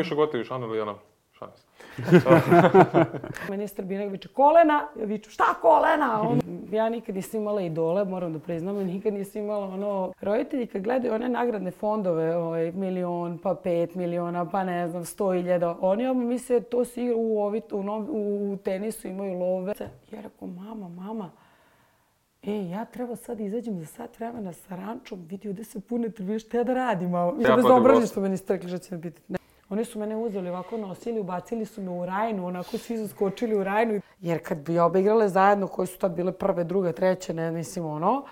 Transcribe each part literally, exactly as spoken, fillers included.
više gotivi, Šanel ili Jana? Šanes. Ministar Binek viče kolena, ja viču šta kolena? Ono, ja nikad nisam imala idole, moram da priznam, nikad nisam imala ono... Roditelji kad gledaju one nagradne fondove, ovaj, milion, pa pet miliona, pa ne znam, sto hiljada, oni vam misle to se igra u, ovi, u, u, u tenisu, imaju love. Ja rekao, mama, mama, e, ja treba sad izađem za sat vremena sa rančom, vidi ovdje se pune tribine, šta ja da radim, mama? Ja bez obražnje što me niste rekli, što će me pitati. Oni su mene uzeli ovako, nosili, ubacili su me u Rajnu, onako svi su skočili u Rajnu. Jer kad bi obe igrale zajedno, koje su tad bile prve, druge, treće, ne mislim ono,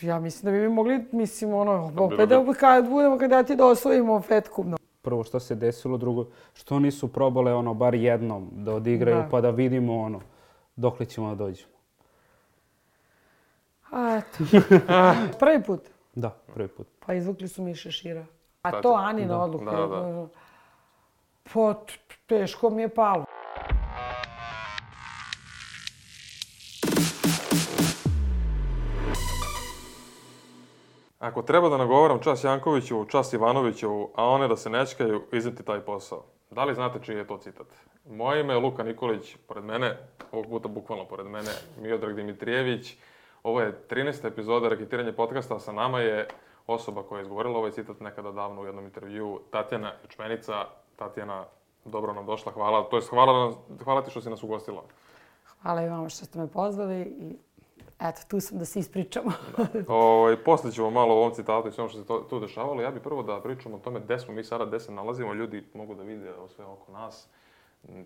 ja mislim da bi mi mogli, mislim ono, opet da kad budemo kandidati da osvojimo fetku. Prvo što se desilo, drugo što nisu probale ono bar jednom da odigraju da. Pa da vidimo ono dokle ćemo da dođemo. A eto, prvi put? Da, prvi put. Pa izvukli su mi šešira. A to Anina odluka. Da, da. Pa teško mi je palo. Ako treba da nagovaram čas Jankoviću, čas Ivanoviću, a one da se nečkaju, izneti taj posao. Da li znate čiji je to citat? Moje ime je Luka Nikolić, pored mene, ovog puta bukvalno pored mene, Miodrag Dimitrijević. Ovo je trinaesta epizoda Raketiranje podcasta, a sa nama je osoba koja je izgovorila ovaj citat nekada davno u jednom intervjuu, Tatjana Ječmenica. Tatjana, dobro nam došla, hvala. To jest, hvala, hvala ti što si nas ugostila. Hvala i vama što ste me pozvali i eto, tu sam da se ispričamo. Da. O, posle ćemo malo o ovom citatu i sve ono što se to, tu dešavalo. Ja bih prvo da pričamo o tome gde smo mi sada, gde se nalazimo. Ljudi mogu da vide sve oko nas.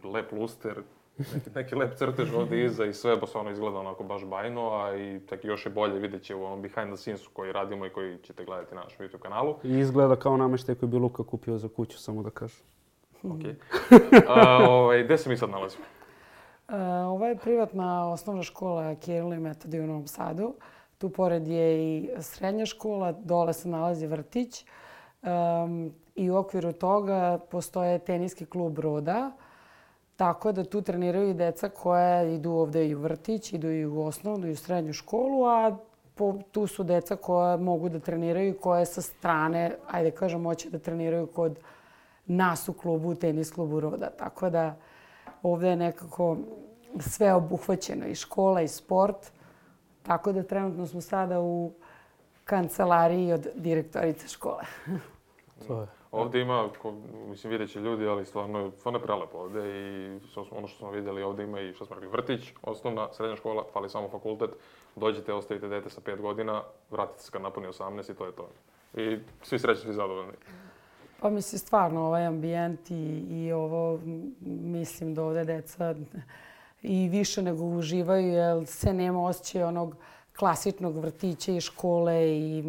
Lep luster, neki, neki lep crtež ovdje iza i sve, bo se ono izgleda onako baš bajno, a i tako još je bolje vidjet će u onom behind the scenesu koji radimo i koji ćete gledati na našem YouTube kanalu. I izgleda kao nameštaj koji bi Luka kupio za kuću, samo da kažem. Okej. Okay. Ovaj, gde se mi sad nalazimo? Uh, ovo je privatna osnovna škola Kiril i Metodij u Novom Sadu. Tu pored je i srednja škola, dole se nalazi vrtić. Um, I u okviru toga postoje teniski klub Roda. Tako da tu treniraju i deca koja idu ovdje i u vrtić, idu i u osnovnu i u srednju školu, a po, tu su deca koja mogu da treniraju i koje sa strane, ajde kažem, moće da treniraju kod nas u klubu, u tenis klubu Roda. Tako da ovdje je nekako sve obuhvaćeno, i škola i sport. Tako da trenutno smo sada u kancelariji od direktorice škole. To je. Ovdje ima, ko, mislim, vidjet će ljudi, ali stvarno, stvarno je prelepo ovdje i ono što smo vidjeli ovdje ima i što smo rekli vrtić, osnovna, srednja škola, fali samo fakultet. Dođete, ostavite dete sa pet godina, vratite se kad napuni osamnaest i to je to. I svi srećni, svi zadovoljni. Pa mislim, stvarno, ovaj ambijent i, i ovo, mislim da ovdje deca i više nego uživaju, jer se nema osjećaja onog klasičnog vrtića i škole i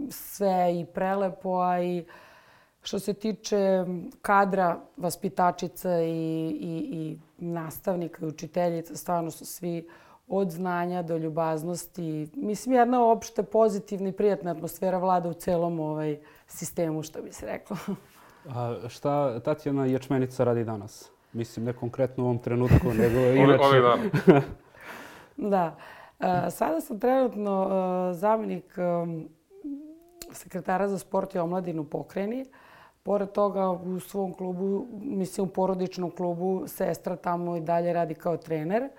sve i prelepo, a i što se tiče kadra, vaspitačica i, i, i nastavnika i učiteljica, stvarno su svi od znanja do ljubaznosti. Mislim, jedna opšte pozitivna i prijatna atmosfera vlada u celom ovaj sistemu, što bi se reklo. A šta Tatjana Ječmenica radi danas? Mislim, ne konkretno u ovom trenutku, nego inače. Ove dana. Da. Sada sam trenutno zamjenik sekretara za sport i omladinu pokrajini. Pored toga u svom klubu, mislim u porodičnom klubu, sestra tamo i dalje radi kao trener.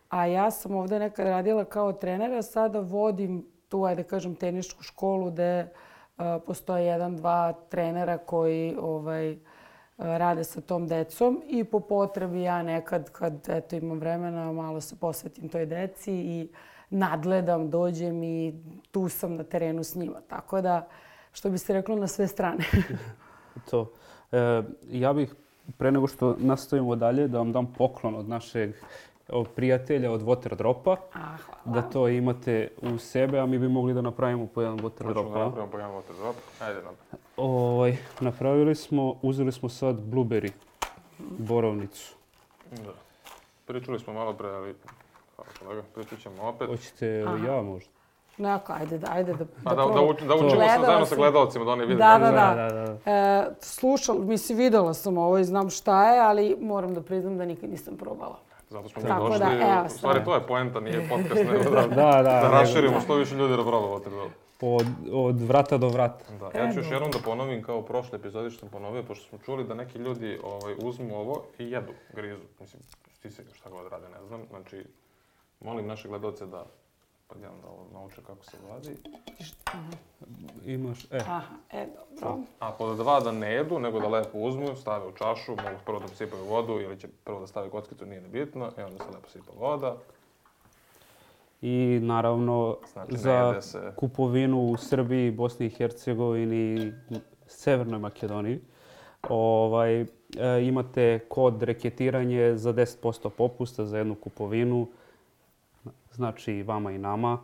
A ja sam ovdje nekad radila kao trenera, sada vodim tu, ajde kažem, tenišku školu gde uh, postoje jedan, dva trenera koji ovaj, uh, rade sa tom decom i po potrebi ja nekad kad eto, imam vremena malo se posvetim toj deci i nadgledam, dođem i tu sam na terenu s njima. Tako da, što bi se reklo, na sve strane. To. E, ja bih, pre nego što nastavimo dalje, da vam dam poklon od našeg prijatelja od Waterdropa. A, da to imate u sebe, a mi bi mogli da napravimo po jedan Waterdrop. Hoćemo da napravimo po jedan Waterdrop. Ajde nam. Ovaj, napravili smo, uzeli smo sad blueberry, borovnicu. Da. Pričali smo malo pre, ali hvala kolega, pričat ćemo opet. Hoćete ja možda? Neko, ajde, ajde da, da, da, da, uč, da učimo sa, zajedno sa gledalcima, da oni vide. Da, da, da. da, da, da. E, slušala, mislim, videla sam ovo i znam šta je, ali moram da priznam da nikad nisam probala. Zato smo mi došli. Da, evo, u stvari, to je poenta, nije podcast, nego da, da, da, da raširimo što više ljudi da probavate. od, od vrata do vrata. Da, ja ću još jednom da ponovim kao u prošle epizodi što sam ponovio, pošto smo čuli da neki ljudi ovaj, uzmu ovo i jedu, grizu. Mislim, ti se šta god rade, ne znam. Znači, molim naše gledalce da pod jedan da ovo nauče kako se vadi. Imaš, e. Aha, e, dobro. A pod dva da ne jedu, nego da lepo uzmu, stave u čašu, mogu prvo da posipaju vodu ili će prvo da stave kockicu, nije ni bitno, i onda se lepo sipa voda. I naravno Znači, ne za jede se. kupovinu u Srbiji, Bosni i Hercegovini, Severnoj Makedoniji ovaj, e, imate kod reketiranje za deset posto popusta za jednu kupovinu. Znači i vama i nama.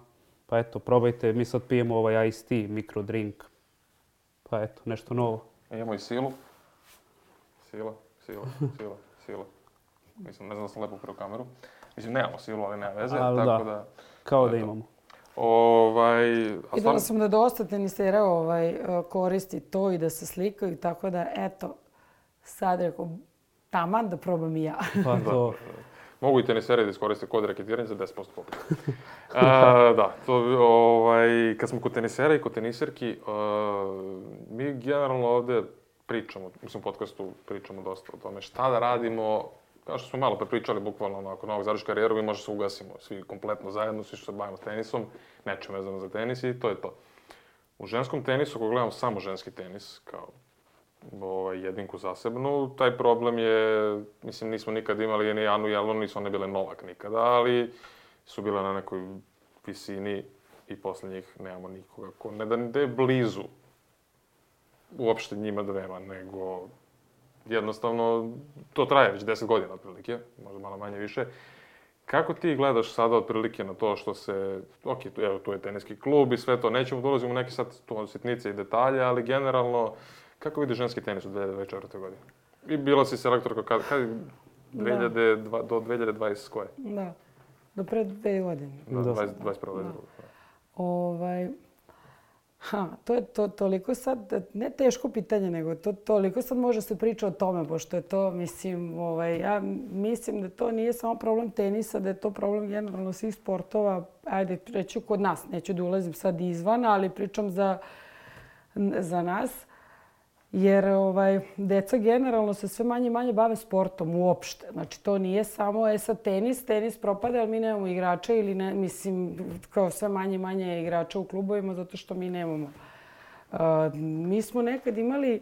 Pa eto, probajte. Mi sad pijemo ovaj Ice Tea, micro drink. Pa eto, nešto novo. Imamo i silu. Sila, sila, sila, sila. Mislim, ne znam da sam lepo upravo kameru. Mislim, nemamo silu, ali nema veze, Ali tako da. da... Kao to da je to. imamo. Ovaj... a Videla stvarno- sam da dosta tenisera ovaj, koristi to i da se slikaju, tako da, eto, sad rekao, taman da probam i ja. Pa to, Mogu i teniseri da iskoriste kod reketiranja za deset posto popusta. A, da, to, ovaj, kad smo kod tenisera i kod teniserki, a, mi generalno ovde pričamo, mislim u podcastu pričamo dosta o tome šta da radimo, kao što smo malo pre pričali, bukvalno onako, novog završi karijeru, mi možda se ugasimo svi kompletno zajedno, svi što se bavimo tenisom, nečem vezano za tenis i to je to. U ženskom tenisu, ako gledamo samo ženski tenis, kao ovaj, jedinku zasebnu, taj problem je, mislim, nismo nikad imali ni Anu Jelonu, nisu one bile Novak nikada, ali su bile na nekoj visini i posle njih nemamo nikoga ko ne da ne je blizu uopšte njima dvema, nego jednostavno to traje već deset godina otprilike, možda malo manje više. Kako ti gledaš sada otprilike na to što se, ok, tu, evo, tu je teniski klub i sve to, nećemo da ulazimo u neke sad tu sitnice i detalje, ali generalno, kako vidiš ženski tenis u dve hiljade dvadeset četvrtoj godini? I bila si selektorka kad, kad dve hiljade dva, do dve hiljade dvadeset koje? Da, do pre dve godine. Da, Da. dvadeset, dvadeset prva. Da. Ovaj, ha, to je to, toliko sad, ne teško pitanje, nego to toliko sad može se priča o tome, pošto je to, mislim, ovaj, ja mislim da to nije samo problem tenisa, da je to problem generalno svih sportova, ajde, reću kod nas, neću da ulazim sad izvan, ali pričam za, za nas. Jer ovaj, deca generalno se sve manje i manje bave sportom uopšte. Znači, to nije samo, e sad tenis, tenis propada, ali mi nemamo igrača ili ne, mislim, kao sve manje i manje igrača u klubovima zato što mi nemamo. Uh, mi smo nekad imali uh,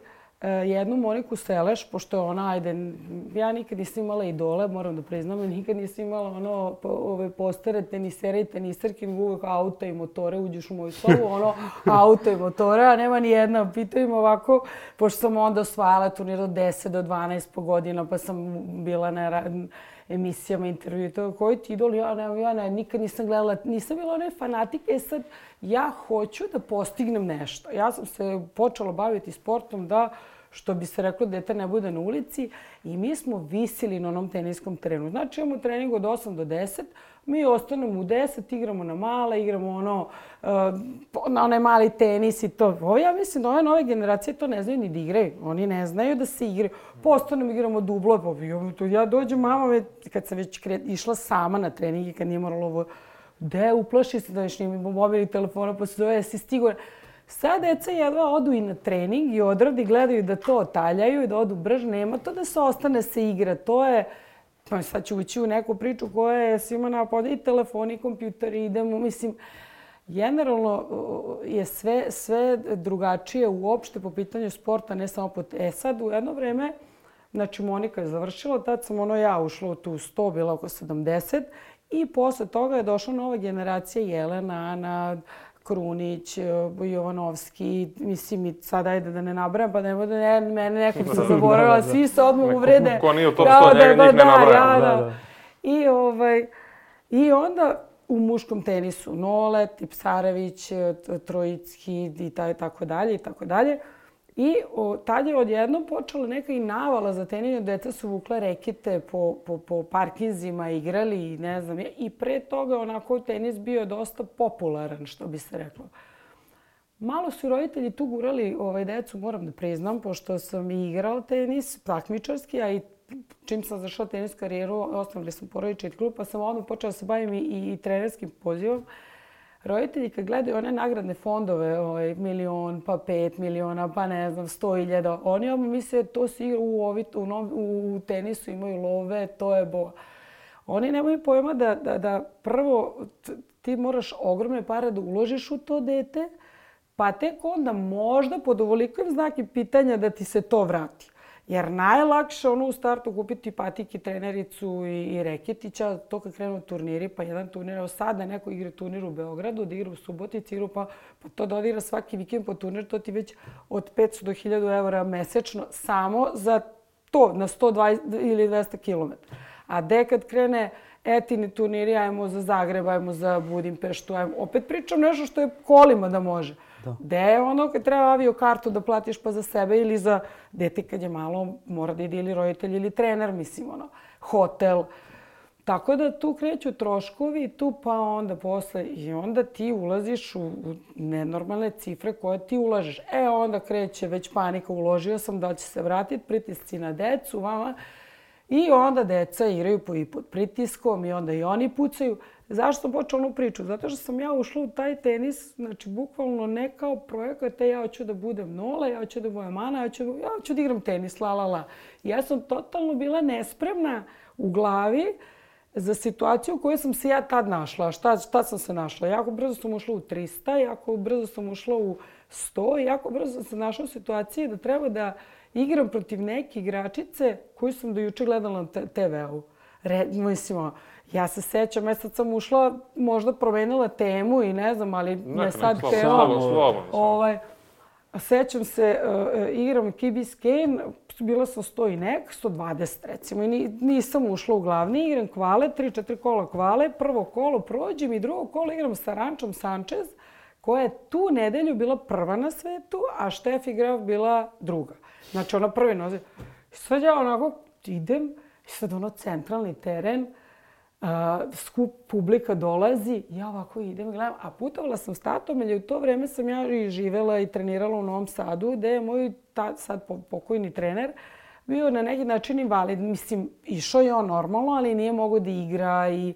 jednu Moniku Seleš, pošto je ona, ajde, ja nikad nisam imala idole, moram da priznam, nikad nisam imala ono, po, ove postere tenisere i teniserke, nego uvek auto i motore, uđeš u moju sobu, ono, auto i motore, a nema ni jedna. Pitam ovako, pošto sam onda osvajala turnir od deset do dvanaest po godina, pa sam bila na ra- emisijama, intervju i to, koji ti idol, ja ne, ja ne, nikad nisam gledala, nisam bila onaj fanatik, e sad, ja hoću da postignem nešto. Ja sam se počela baviti sportom da, što bi se reklo, dete ne bude na ulici i mi smo visili na onom teniskom terenu. Znači imamo trening od osam do deset, mi ostanemo u deset, igramo na male, igramo ono, uh, na onaj mali tenis i to. Ovo ja mislim da ove nove generacije to ne znaju ni da igraju. Oni ne znaju da se igraju. Postanemo, igramo dublo. Pa ja dođem, mama, kad sam već kre, išla sama na trening i kad nije moralo ovo, de, uplaši se da već nije mobilnih telefona, pa se zove, jesi stigao. Sad deca jedva odu i na trening i odradi, gledaju da to otaljaju i da odu brž. Nema to da se ostane se igra. To je, pa sad ću ući u neku priču koja je svima napad i telefoni i kompjuteri, idemo, mislim, generalno je sve, sve drugačije uopšte po pitanju sporta, ne samo po... E sad, u jedno vreme, znači Monika je završila, tad sam ono ja ušla u tu sto, bila oko sedamdeset i posle toga je došla nova generacija Jelena, Ana, Krunić, Jovanovski, mislim i sad ajde da ne nabrajam, pa ne bude ne, mene nekog se zaboravila, svi se odmah uvrede. Ko nije u top sto, njega njih ne nabrajam. Da, da. I, ovaj, I onda u muškom tenisu Nole, Tipsarević, Trojicki i tako dalje i tako dalje. I o, tad je odjednom počela neka i navala za tenis, deca su vukla rekete po, po, po parkinzima, igrali i ne znam. I pre toga onako tenis bio dosta popularan, što bi se reklo. Malo su roditelji tu gurali ovaj, decu, moram da priznam, pošto sam i igrala tenis, takmičarski, a i čim sam zašla tenis karijeru, osnovali sam porodični klub, pa sam odmah počela da se bavim i, i trenerskim pozivom. roditelji kad gledaju one nagradne fondove, ovaj, milion, pa pet miliona, pa ne znam, sto hiljada, oni odmah misle to se igra u, ovi, u, u, u tenisu, imaju love, to je bo. Oni nemaju pojma da, da, da prvo ti moraš ogromne pare da uložiš u to dete, pa tek onda možda pod ovolikim znakom pitanja da ti se to vrati. Jer najlakše ono u startu kupiti patike, trenericu i, i reketića, to kad krenu turniri, pa jedan turnir, evo sad da neko igra turnir u Beogradu, da igra u Subotici, igra pa, pa to da odigra svaki vikend po turnir, to ti već od petsto do hiljadu evra mesečno samo za to, na sto dvadeset ili dvesta kilometara. A de kad krene etini turniri, ajmo za Zagreb, ajmo za Budimpeštu, ajmo, opet pričam nešto što je kolima da može. Da. Gde je ono kad treba avio kartu da platiš pa za sebe ili za dete kad je malo, mora da ide ili roditelj ili trener, mislim, ono, hotel. Tako da tu kreću troškovi, tu pa onda posle i onda ti ulaziš u, u nenormalne cifre koje ti ulažeš. E onda kreće već panika, uložio sam da će se vratiti, pritisci na decu, vama. I onda deca igraju po i pod pritiskom i onda i oni pucaju. Zašto sam počela onu priču? Zato što sam ja ušla u taj tenis, znači bukvalno ne kao projekat, ja hoću da budem Nola, ja hoću da budem Ana, ja hoću, ja hoću da igram tenis, la la la. Ja sam totalno bila nespremna u glavi za situaciju u kojoj sam se ja tad našla. Šta, šta sam se našla? Jako brzo sam ušla u trista, jako brzo sam ušla u sto, jako brzo sam se našla u situaciji da treba da igram protiv neke igračice koju sam do juče gledala na te veu. Mislim, ja se sećam, ja sad sam ušla, možda promenila temu i ne znam, ali me sad tema... Ovaj, sećam se, uh, igram Key Biscayne, bila sam sto i nek, sto dvadeset recimo, i nisam ušla u glavni, igram kvale, tri četiri kola kvale, prvo kolo prođem i drugo kolo igram sa Rančom Sanchez, koja je tu nedelju bila prva na svetu, a Steffi Graf bila druga. Znači, ona prvi nozi. I sad ja onako idem, i sad ono centralni teren, uh, skup publika dolazi, ja ovako idem i gledam, a putovala sam s tatom, jer u to vreme sam ja i živela i trenirala u Novom Sadu, gde je moj ta, sad pokojni trener bio na neki način invalid. Mislim, išao je on normalno, ali nije mogao da igra i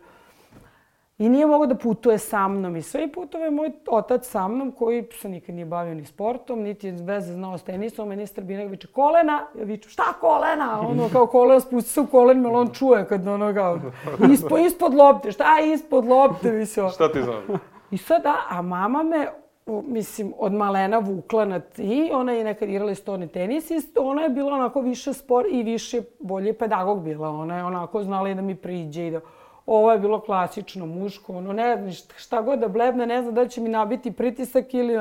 I nije mogao da putuje sa mnom i sve. I putove moj otac sa mnom, koji se nikad nije bavio ni sportom, niti je veze znao s tenisom. Meni je Strbinak viče kolena. Ja viču šta kolena? Ono kao kolena, spusti se u kolen, jer on čuje kad ono kao ispod, ispod lopte. Šta je ispod lopte? Mislim. Šta ti znam? I sad da, a mama me, mislim, od malena vukla na ti. Ona je nekad igrala stoni tenis i ona je bila onako više spor i više bolje pedagog bila. Ona je onako znala i da mi priđe i da... Ovo je bilo klasično muško, ono ne znam šta god da blebne, ne znam da će mi nabiti pritisak ili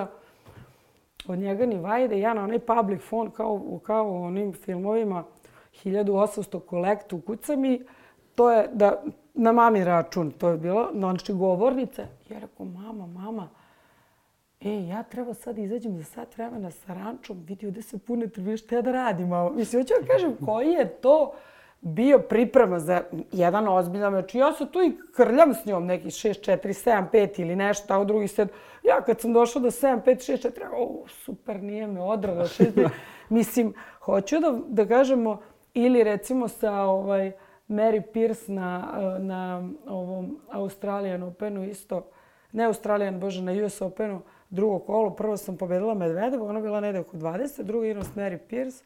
od njega ni vajde. Ja na onaj public phone kao, kao u onim filmovima hiljadu osamsto kolektu kucam i to je da, na mami račun, to je bilo, znači govornica. Ja rekao, mama, mama, e, ja treba sad izađem za sat vremena sa Rančom, vidi ovdje se pune tribine, šta ja da radim, mama? Mislim, hoću da kažem, koji je to bio priprema za jedan ozbiljan meč. Ja se tu i krljam s njom, neki šest četiri, sedam pet ili nešto, tako drugi sed. Ja kad sam došla do sedam pet, šest četiri, o, super, nije me odrala. Mislim, hoću da, da kažemo, ili recimo sa ovaj, Mary Pierce na, na ovom Australian Openu isto, ne Australian, bože, na U S Openu, drugo kolo, prvo sam pobedila Medvedevu, ona bila negde oko dvadeset, drugo igram s Mary Pierce.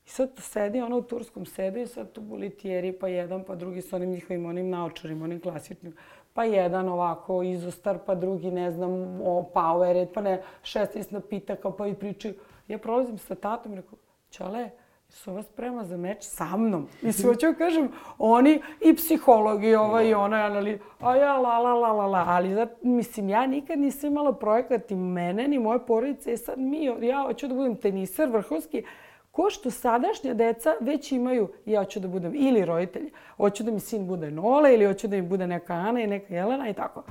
I sad tu sedi, ona u turskom sedu i sad tu bulitijeri, pa jedan, pa drugi s onim njihovim onim naočarima, onim klasičnim. Pa jedan ovako izostar, pa drugi, ne znam, o Powerade, pa ne, šesnaest napitaka, pa i pričaju. Ja prolazim sa tatom i rekao, Čale, su vas sprema za meč sa mnom. Mislim, hoću kažem, oni i psihologi, ova i ona, anali, a ja la la la la la, ali da, mislim, ja nikad nisam imala projekat i mene, ni moje porodice, i sad mi, ja hoću da budem teniser vrhunski, ko što sadašnja deca već imaju, ja hoću da budem ili roditelji, hoću da mi sin bude Nola ili hoću da mi bude neka Ana i neka Jelena i tako.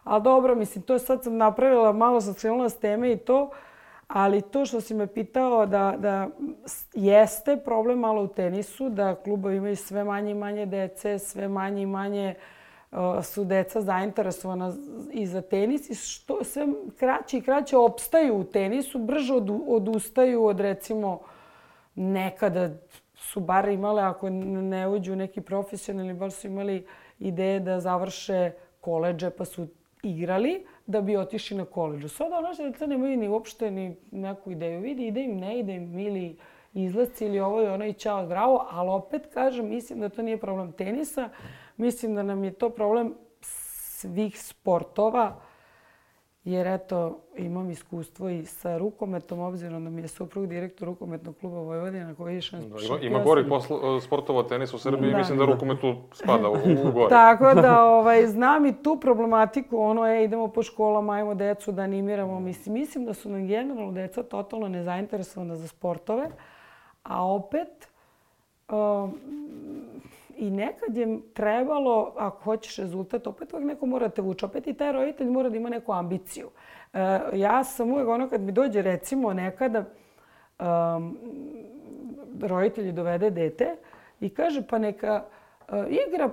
Ali dobro, mislim, to sad sam napravila, malo sam skrenula s teme i to, ali to što si me pitao da, da jeste problem malo u tenisu, da klubovi imaju sve manje i manje dece, sve manje i manje uh, su deca zainteresovana i za tenis i što sve kraće i kraće opstaju u tenisu, brže od, odustaju od recimo nekada su bar imale, ako ne uđu neki profesionalni, bar su imali ideje da završe koledže, pa su igrali da bi otišli na koledžu. Sada naše deca nemaju ni uopšte ni neku ideju. Vidi, ide im, ne ide im, ili izlasci ili ovo i ono i čao zdravo, ali opet kažem, mislim da to nije problem tenisa. Mislim da nam je to problem svih sportova, jer eto, imam iskustvo i sa rukometom, obzirom da mi je suprug direktor rukometnog kluba Vojvodina koji je šampion. Ima gorih sportova tenis u Srbiji i mislim da rukomet tu spada u, u gore. Tako da ovaj, znam i tu problematiku, ono, e, idemo po školama, ajmo decu da animiramo. Mislim, mislim da su nam generalno deca totalno nezainteresovana za sportove, a opet um, i nekad je trebalo, ako hoćeš rezultat, opet uvijek neko mora te vući. Opet i taj roditelj mora da ima neku ambiciju. E, ja sam uvijek ono kad mi dođe recimo nekada um, roditelji dovede dete i kaže pa neka uh, igra,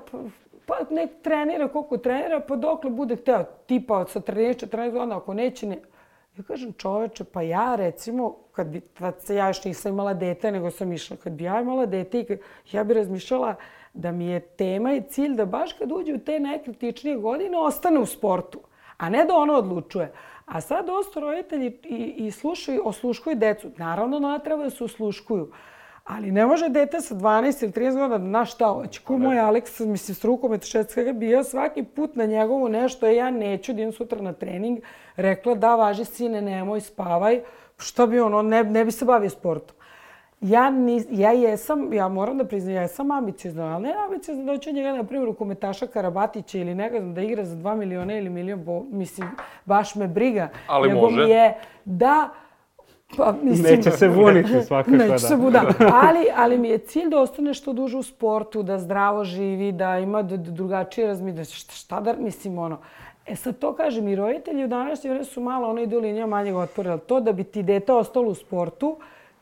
pa nek trenira koliko trenira, pa dokle bude hteo. Tipa sa trinaest četrnaest godina, ako neće ne... Ja kažem čoveče, pa ja recimo, kad bi, tad ja još nisam imala dete, nego sam išla, kad bi ja imala dete, i kad, ja bi razmišljala da mi je tema i cilj da baš kad uđe u te najkritičnije godine ostane u sportu, a ne da ono odlučuje. A sad dosta roditelji i, i slušaju, osluškuju decu. Naravno da ona treba da se osluškuju. Ali ne može dete sa dvanaest ili trinaest godina da na šta hoće. Ko moj Aleks, mislim, s rukometa švedskega bio svaki put na njegovu nešto, ja neću da idem sutra na trening. Rekla da, važi sine, nemoj, spavaj. Šta bi ono, ne, ne bi se bavio sportom. Ja, nis, ja jesam, ja moram da priznam, ja jesam ambiciozna, ali ne ambiciozna da hoću njega, na primjer, rukometaša Karabatića ili ne znam, da igra za dva miliona ili milion, bo, mislim, baš me briga. Ali nego može. Mi je da... Pa, mislim, neće se buniti svakako, neće da. se bu, da. Ali, ali mi je cilj da ostane što duže u sportu, da zdravo živi, da ima drugačije razmišljanje. Šta, šta da, mislim, ono... E sad to kažem, i roditelji u današnje vreme su malo, ono ide u linija manjeg otpora, ali to da bi ti dete ostalo u sportu,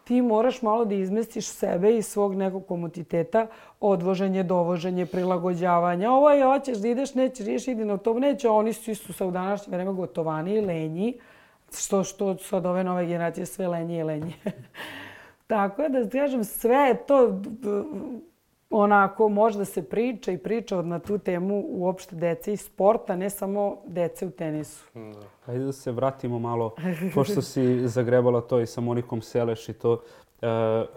ti moraš malo da izmestiš sebe i svog nekog komoditeta, odvoženje, dovoženje, prilagođavanje. Ovo je, hoćeš da ideš, nećeš, ideš, idi na to, neće, oni su isto sa u današnje vreme gotovani i lenji, što, što sad ove nove generacije sve lenje i lenje. Tako da, kažem, sve je to onako, može da se priča i priča na tu temu uopšte dece i sporta, ne samo dece u tenisu. Hajde da se vratimo malo, pošto si zagrebala to i sa Monikom Seleš i to. E,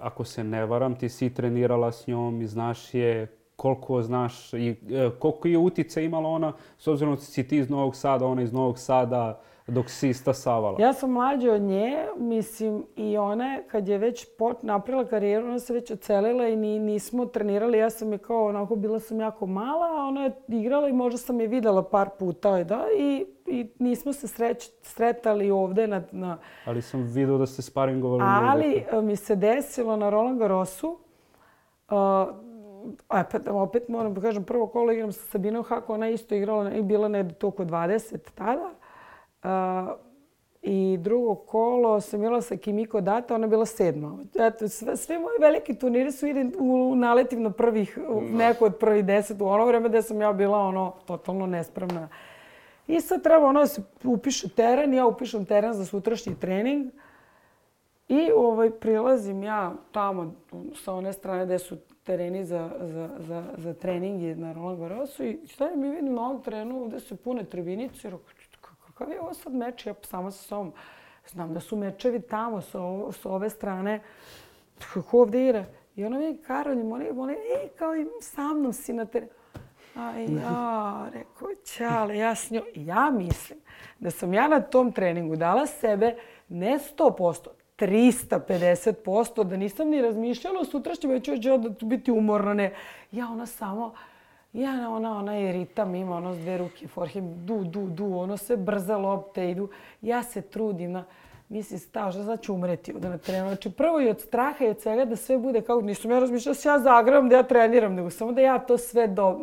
ako se ne varam, ti si trenirala s njom i znaš je, koliko znaš i e, koliko je utjecaj imala ona, s obzirom da si ti iz Novog Sada, ona iz Novog Sada, dok si stasavala. Ja sam mlađa od nje, mislim, i ona kad je već pot, napravila karijeru, ona se već ocelila i ni, nismo trenirali. Ja sam je kao, onako, bila sam jako mala, a ona je igrala i možda sam je videla par puta, da, i, i nismo se sreć, sretali ovde na, na... Ali sam vidio da ste sparingovali. Ali mi se desilo na Roland Garrosu, uh, opet, opet moram da kažem, prvo kolo igram sa Sabinom Hako, ona isto igrala i bila ne toliko dvadeset tada. Uh, I drugo kolo sam bila sa Kimiko Data, ona je bila sedma. Eto, sve, sve moje velike turnire su idem u naletim na prvih, neko od prvih deset u ono vreme gde sam ja bila ono totalno nespremna. I sad treba ono da se upiše teren, ja upišem teren za sutrašnji trening i ovaj, prilazim ja tamo sa one strane gde su tereni za, za, za, za treninge na Roland Garrosu i stavim mi vidim na ovom terenu gde su pune tribinice. Kakav je ovo sad meč? Ja sama sa sobom. Znam da su mečevi tamo sa, ovo, sa ove strane. Kako ovdje igra? I ona vidi Karolj, oni, oni, ej, kao i sa mnom si na terenu. A ja, rekao, čale, ja s njom. Ja mislim da sam ja na tom treningu dala sebe ne sto posto, trista pedeset posto, da nisam ni razmišljala o sutrašnjem, već ću da biti umorna, ne. Ja ona samo... Ja, ona, ona je ritam, ima ono s dve ruke, forehand, du, du, du, ono sve brza lopte idu. Ja se trudim na, mislim, stao, šta znači umreti ovdje na trenu. Znači, prvo i od straha i od svega da sve bude kao, nisam ja razmišljala da se ja zagravam, da ja treniram, nego samo da ja to sve do...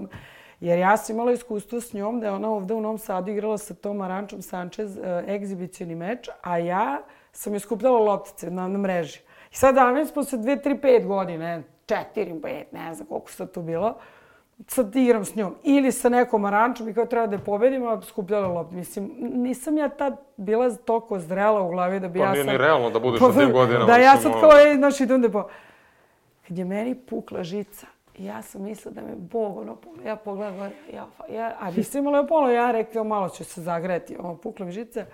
Jer ja sam imala iskustvo s njom da je ona ovdje u Novom Sadu igrala sa tom Arančom Sanchez uh, egzibicioni meč, a ja sam je skupljala loptice na, na mreži. I sad danas posle dve, tri, pet godine, četiri, pet, ne znam koliko sad to bilo, sad igram s njom. Ili sa nekom Arančom i kao treba da je pobedim, a skupljala loptu. Mislim, nisam ja tad bila toliko zrela u glavi da bi pa ja sad... Pa nije ni realno da budeš na tim godinama. Da ja sad kao, ej, znaš, idem da po... Kad je meni pukla žica, I ja sam mislila da me Bog ono polo. Ja pogledam gore, ja, ja, a nisam imala polo, ja rekao malo ću se zagreti, ono, pukla mi žice.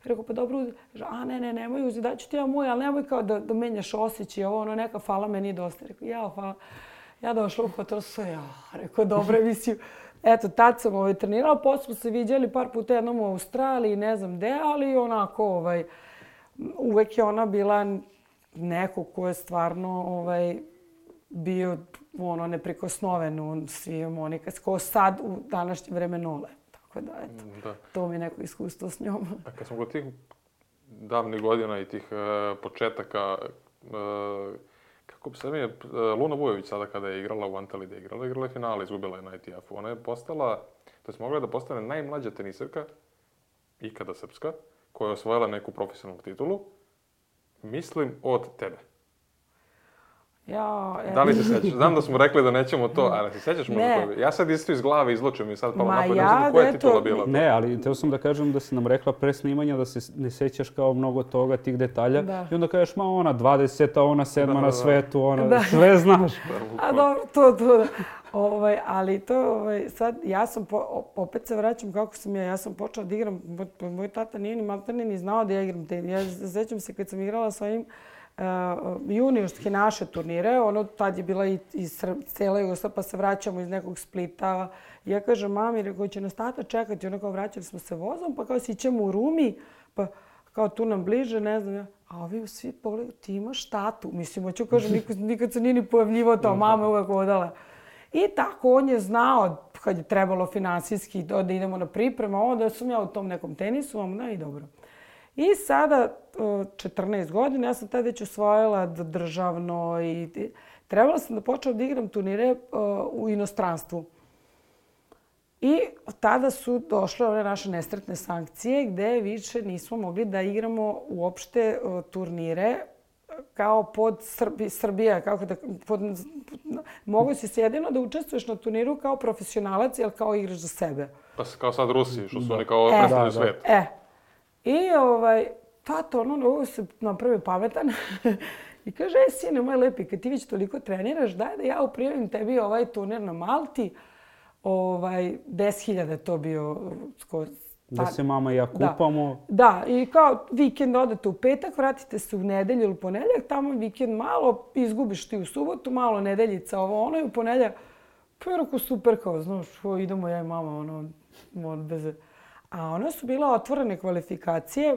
Rekao, pa dobro, uzi. A ne, ne, nemoj uzi, daću ti ja moj, ali nemoj kao da, da menjaš osjeći i ovo, ono, neka fala meni dosta. Rekao, ja, hvala. Ja došla u hotel, sve, ja, rekao, dobro, mislim. Eto, tad sam ovaj, trenirala, posle smo se viđali par puta jednom u Australiji, ne znam gde, ali onako, ovaj, uvek je ona bila neko ko je stvarno ovaj, bio ono, neprikosnoven u svim Monika, ko sad u današnje vreme nole. Tako da, eto, da. To mi je neko iskustvo s njom. A kad smo kod tih davnih godina i tih uh, početaka, uh, kako bi se mi je, uh, Luna Vujović sada kada je igrala u Antaliji, igrala, igrala je finale, izgubila je na I T F-u. Ona je postala, to je mogla da postane najmlađa teniserka, ikada srpska, koja je osvojila neku profesionalnu titulu, mislim od tebe. Ja, e... Da li se sećaš? Znam da smo rekli da nećemo to, ali se sećaš možda toga? Ja sad isto iz glave izlučujem i sad palo napad, ne znam koja je titula bila. Ne, ali teo sam da kažem da si nam rekla pre snimanja da se ne sećaš kao mnogo toga, tih detalja. Da. I onda kažeš, ma ona dvadeseta, ona sedma da, na svetu, ona da. Sve znaš. A dobro, to, to da. Ovaj, ali to, ovaj, sad, ja sam, po, opet se vraćam kako sam ja, ja sam počela da igram, moj, moj tata nije ni maltene ni znao da ja igram tenis. Ja sećam se kad sam igrala sa ovim Uh, juniorske naše turnire, ono tad je bila i, i cela Jugoslavija, pa se vraćamo iz nekog Splita. Ja kažem mami, rekao će nas tata čekati, ono kao vraćali smo se vozom, pa kao sićemo u Rumi, pa kao tu nam bliže, ne znam ja. A ovi svi pogledaju, ti imaš tatu. Mislim, hoću kažem, nikad, nikad se nije ni pojavljivo to, mama je uvek odala. I tako on je znao kad je trebalo finansijski da idemo na pripremu, onda sam ja u tom nekom tenisu, onda i dobro. I sada, četrnaest godina, ja sam tada već osvojila državno i trebala sam da počnem da igram turnire u inostranstvu. I tada su došle ove naše nesretne sankcije gde više nismo mogli da igramo uopšte turnire kao pod Srbi, Srbija. Kako da, pod, mogu si jedino da učestvuješ na turniru kao profesionalac ili kao igraš za sebe. Pa kao sad Rusi, što su oni kao predstavljaju e, svet. E, I ovaj, tato, ono, ovo se napravi pametan i kaže, e, sine moj lepi, kad ti već toliko treniraš, daj da ja uprijavim tebi ovaj turnir na Malti. Ovaj, deset hiljada je to bio. Sko, da se mama i ja kupamo. Da, da, i kao vikend odete u petak, vratite se u nedelju ili ponedeljak, tamo vikend malo, izgubiš ti u subotu, malo nedeljica, ovo ono i u ponedeljak. Pa je rako super, kao, znaš, idemo ja i mama, ono, ono bez... A one su bile otvorene kvalifikacije,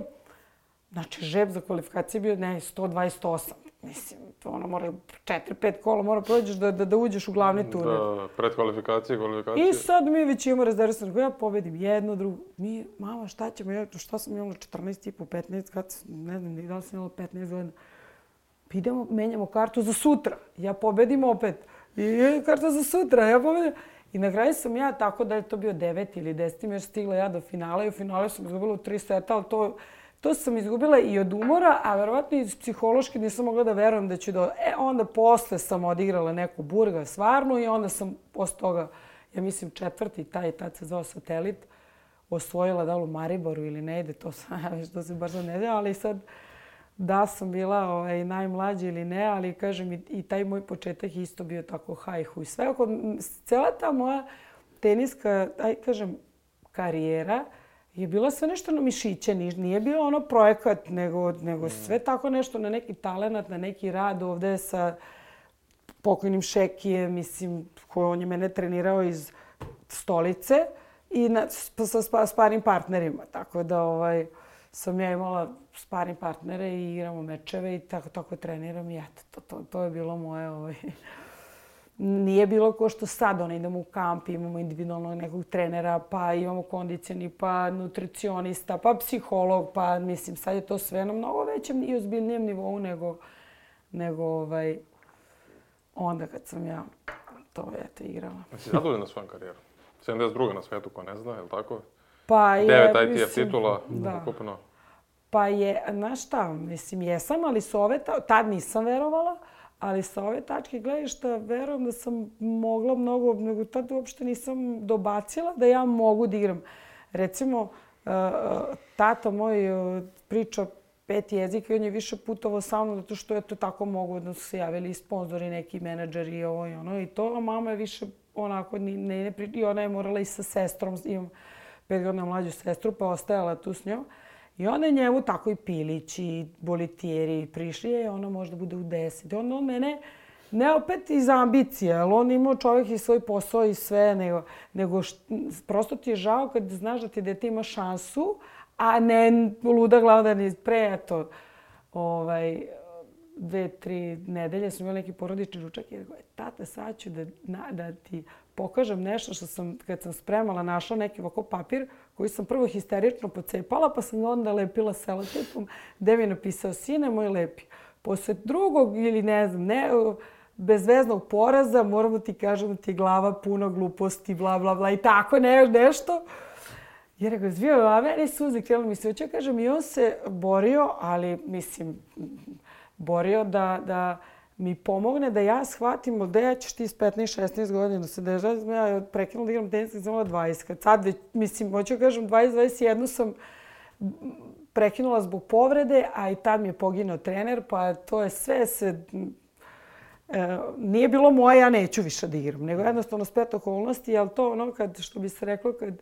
znači žeb za kvalifikacije bio ne, sto dvadeset osam. Mislim, to ono mora četiri pet kola mora prođeš da, da, da uđeš u glavni turnir. Da, pred kvalifikacije, kvalifikacije. I sad mi već imamo rezervisano, ja pobedim jedno, drugo. Mi, mama, šta ćemo, ja, šta sam imala četrnaest i po, petnaest, kad, ne znam, da li sam imala petnaest godina. Idemo, menjamo kartu za sutra. Ja pobedim opet. I karta za sutra, ja pobedim. I na kraju sam ja, tako da je to bio devet ili deset, jer stigla ja do finala i u finalu sam izgubila u tri seta, ali to, to sam izgubila i od umora, a verovatno i psihološki nisam mogla da verujem da ću do... E, onda posle sam odigrala neku burga stvarno i onda sam posle toga, ja mislim četvrti, taj tad se zvao Satelit, osvojila da li u Mariboru ili ne ide, to sam, ja već to se baš ne ide, ali sad da sam bila ovaj, najmlađa ili ne, ali kažem i, i taj moj početak isto bio tako hajhu i sve. Oko, cela ta moja teniska, aj kažem, karijera je bila sve nešto na mišiće, nije bilo ono projekat, nego, nego sve tako nešto na neki talenat, na neki rad ovde sa pokojnim Šekijem, mislim, koji on je mene trenirao iz stolice i na, sa, sa sparim partnerima, tako da ovaj, sam ja imala sparring partnere i igramo mečeve i tako, tako treniram i eto, to, to, to je bilo moje... Ovaj. Nije bilo ko što sad, ono, idemo u kamp, imamo individualnog nekog trenera, pa imamo kondicijani, pa nutricionista, pa psiholog, pa mislim, sad je to sve na mnogo većem i ozbiljnijem nivou nego, nego ovaj, onda kad sam ja to, eto, igrala. Si zadovoljna svojom karijerom? sedamdeset druga na svetu, ko ne zna, je li tako? Pa je, devet I T F titula, da. ukupno. Pa je, znaš šta, mislim, jesam, ali s ove, tad nisam verovala, ali sa ove tačke gledišta verujem da sam mogla mnogo, nego tad uopšte nisam dobacila da ja mogu da igram. Recimo, tata moj priča pet jezika i on je više putovao sa mnom zato što je to tako mogu da su se javili i sponzori, neki menadžeri i ovo i ono i to. A mama je više onako, ne, ne, ne, i ona je morala i sa sestrom, imam pet godina mlađu sestru, pa ostajala tu s njom. I onda je njemu tako i Pilić i Bolitieri prišli, je ona možda bude u deset. I onda on mene, ne opet iz ambicije, ali on imao čovjek i svoj posao i sve, nego, nego št, prosto ti je žao kad znaš da ti dete ima šansu, a ne luda glava da ni pre, eto, ovaj, dve, tri nedelje sam imala neki porodični ručak i rekao, tata, sad ću da, na, da ti pokažem nešto što sam, kad sam spremala, našla neki ovako papir koji sam prvo histerično pocepala, pa sam onda lepila selotipom, gde mi je napisao, sine moj lepi, posle drugog ili ne znam, ne, bezveznog poraza, moram da ti kažem da ti je glava puna gluposti, bla, bla, bla i tako ne, nešto. I rekao, zvio, a meni suze krenu mi se hoće, kažem, i on se borio, ali mislim, borio da, da mi pomogne da ja shvatim da ja ćeš ti s petnaest šesnaest godina da se dežavam. Ja prekinula da igram tenis kad sam imala dvadeset. Kad sad već, mislim, hoću kažem, dvadeset dvadeset jedan sam prekinula zbog povrede, a i tad mi je poginuo trener, pa to je sve se... E, nije bilo moje, ja neću više da igram, nego jednostavno splet okolnosti, ali to ono kad, što bi se reklo, kad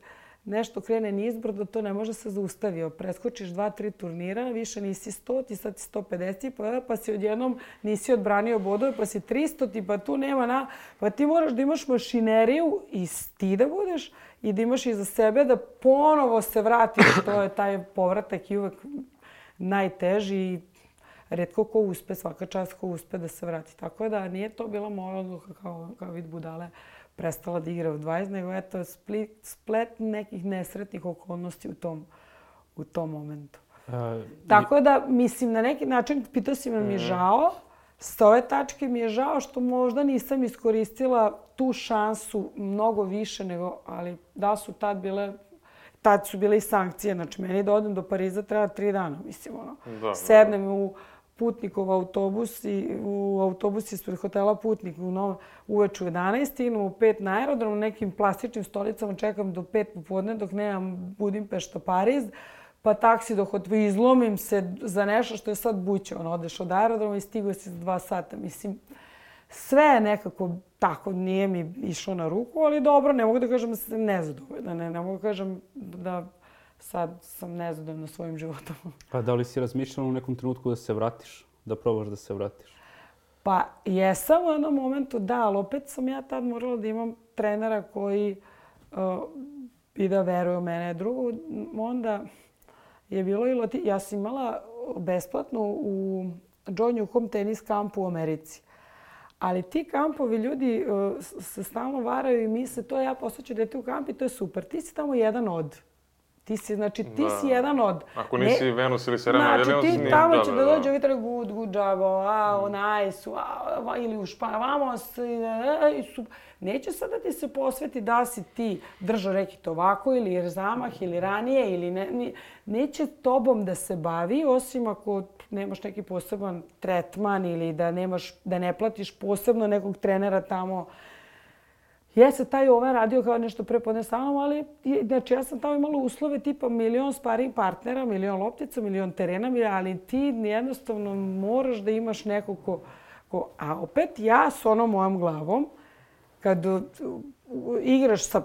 nešto krene nizbrdo, to ne može se zaustaviti. Preskočiš dva, tri turnira, više nisi sto, ti sad si sto pedeset, pa, pa si odjednom nisi odbranio bodove, pa si tristo, ti pa tu nema na... Pa ti moraš da imaš mašineriju i ti da budeš i da imaš iza sebe da ponovo se vratiš. To je taj povratak i uvek najteži i retko ko uspe, svaka čast ko uspe da se vrati. Tako da nije to bila moja odluka kao, kao vid budale. Prestala da igra u dvadeset, nego eto split, splet nekih nesretnih okolnosti u tom, u tom momentu. Uh, Tako da, mislim, na neki način, pitao si me mi je žao, s ove tačke mi je žao što možda nisam iskoristila tu šansu mnogo više nego, ali da su tad bile, tad su bile i sankcije. Znači, meni da odem do Pariza treba tri dana, mislim, ono. Da, sednem da. u Putnikov autobus i u autobus ispred hotela Putnik u Novom uveče u jedanaest, stignem u pet na aerodrom, nekim plastičnim stolicama čekam do pet popodne dok nemam Budimpešta Pariz, pa taksi do hotela, izlomim se za nešto što je sad buće, ono, odeš od aerodroma i stigo si za dva sata. Mislim, sve je nekako tako, nije mi išlo na ruku, ali dobro, ne mogu da kažem da sam nezadovoljna, ne, ne mogu da kažem da sad sam nezadovoljna svojim životom. Pa da li si razmišljala u nekom trenutku da se vratiš? Da probaš da se vratiš? Pa jesam u jednom momentu, da, ali opet sam ja tad morala da imam trenera koji uh, i da veruje u mene. Drugo, onda je bilo i loti... Ja sam imala besplatno u John Newcomb tenis kampu u Americi. Ali ti kampovi, ljudi uh, se stalno varaju i misle, to ja poslaću dete u kamp i to je super. Ti si tamo jedan od. Ti si, znači, ti da. si jedan od... Ako nisi ne, Venus ili Serena, znači, ti tamo će da dođe, ovdje good, good job, a, mm. nice, a, ili u Španiju, vamos, i su... Neće sad da ti se posveti da si ti držao rekit ovako, ili zamah, ili ranije, ili ne, ne, neće tobom da se bavi, osim ako nemaš neki poseban tretman ili da, nemaš, da ne platiš posebno nekog trenera tamo. Jeste, taj ovaj radio kao nešto prepodne sa mnom, ali znači, ja sam tamo imala uslove tipa milion sparing partnera, milion loptica, milion terena, ali ti jednostavno moraš da imaš nekog ko, ko... A opet ja s onom mojom glavom, kad igraš sa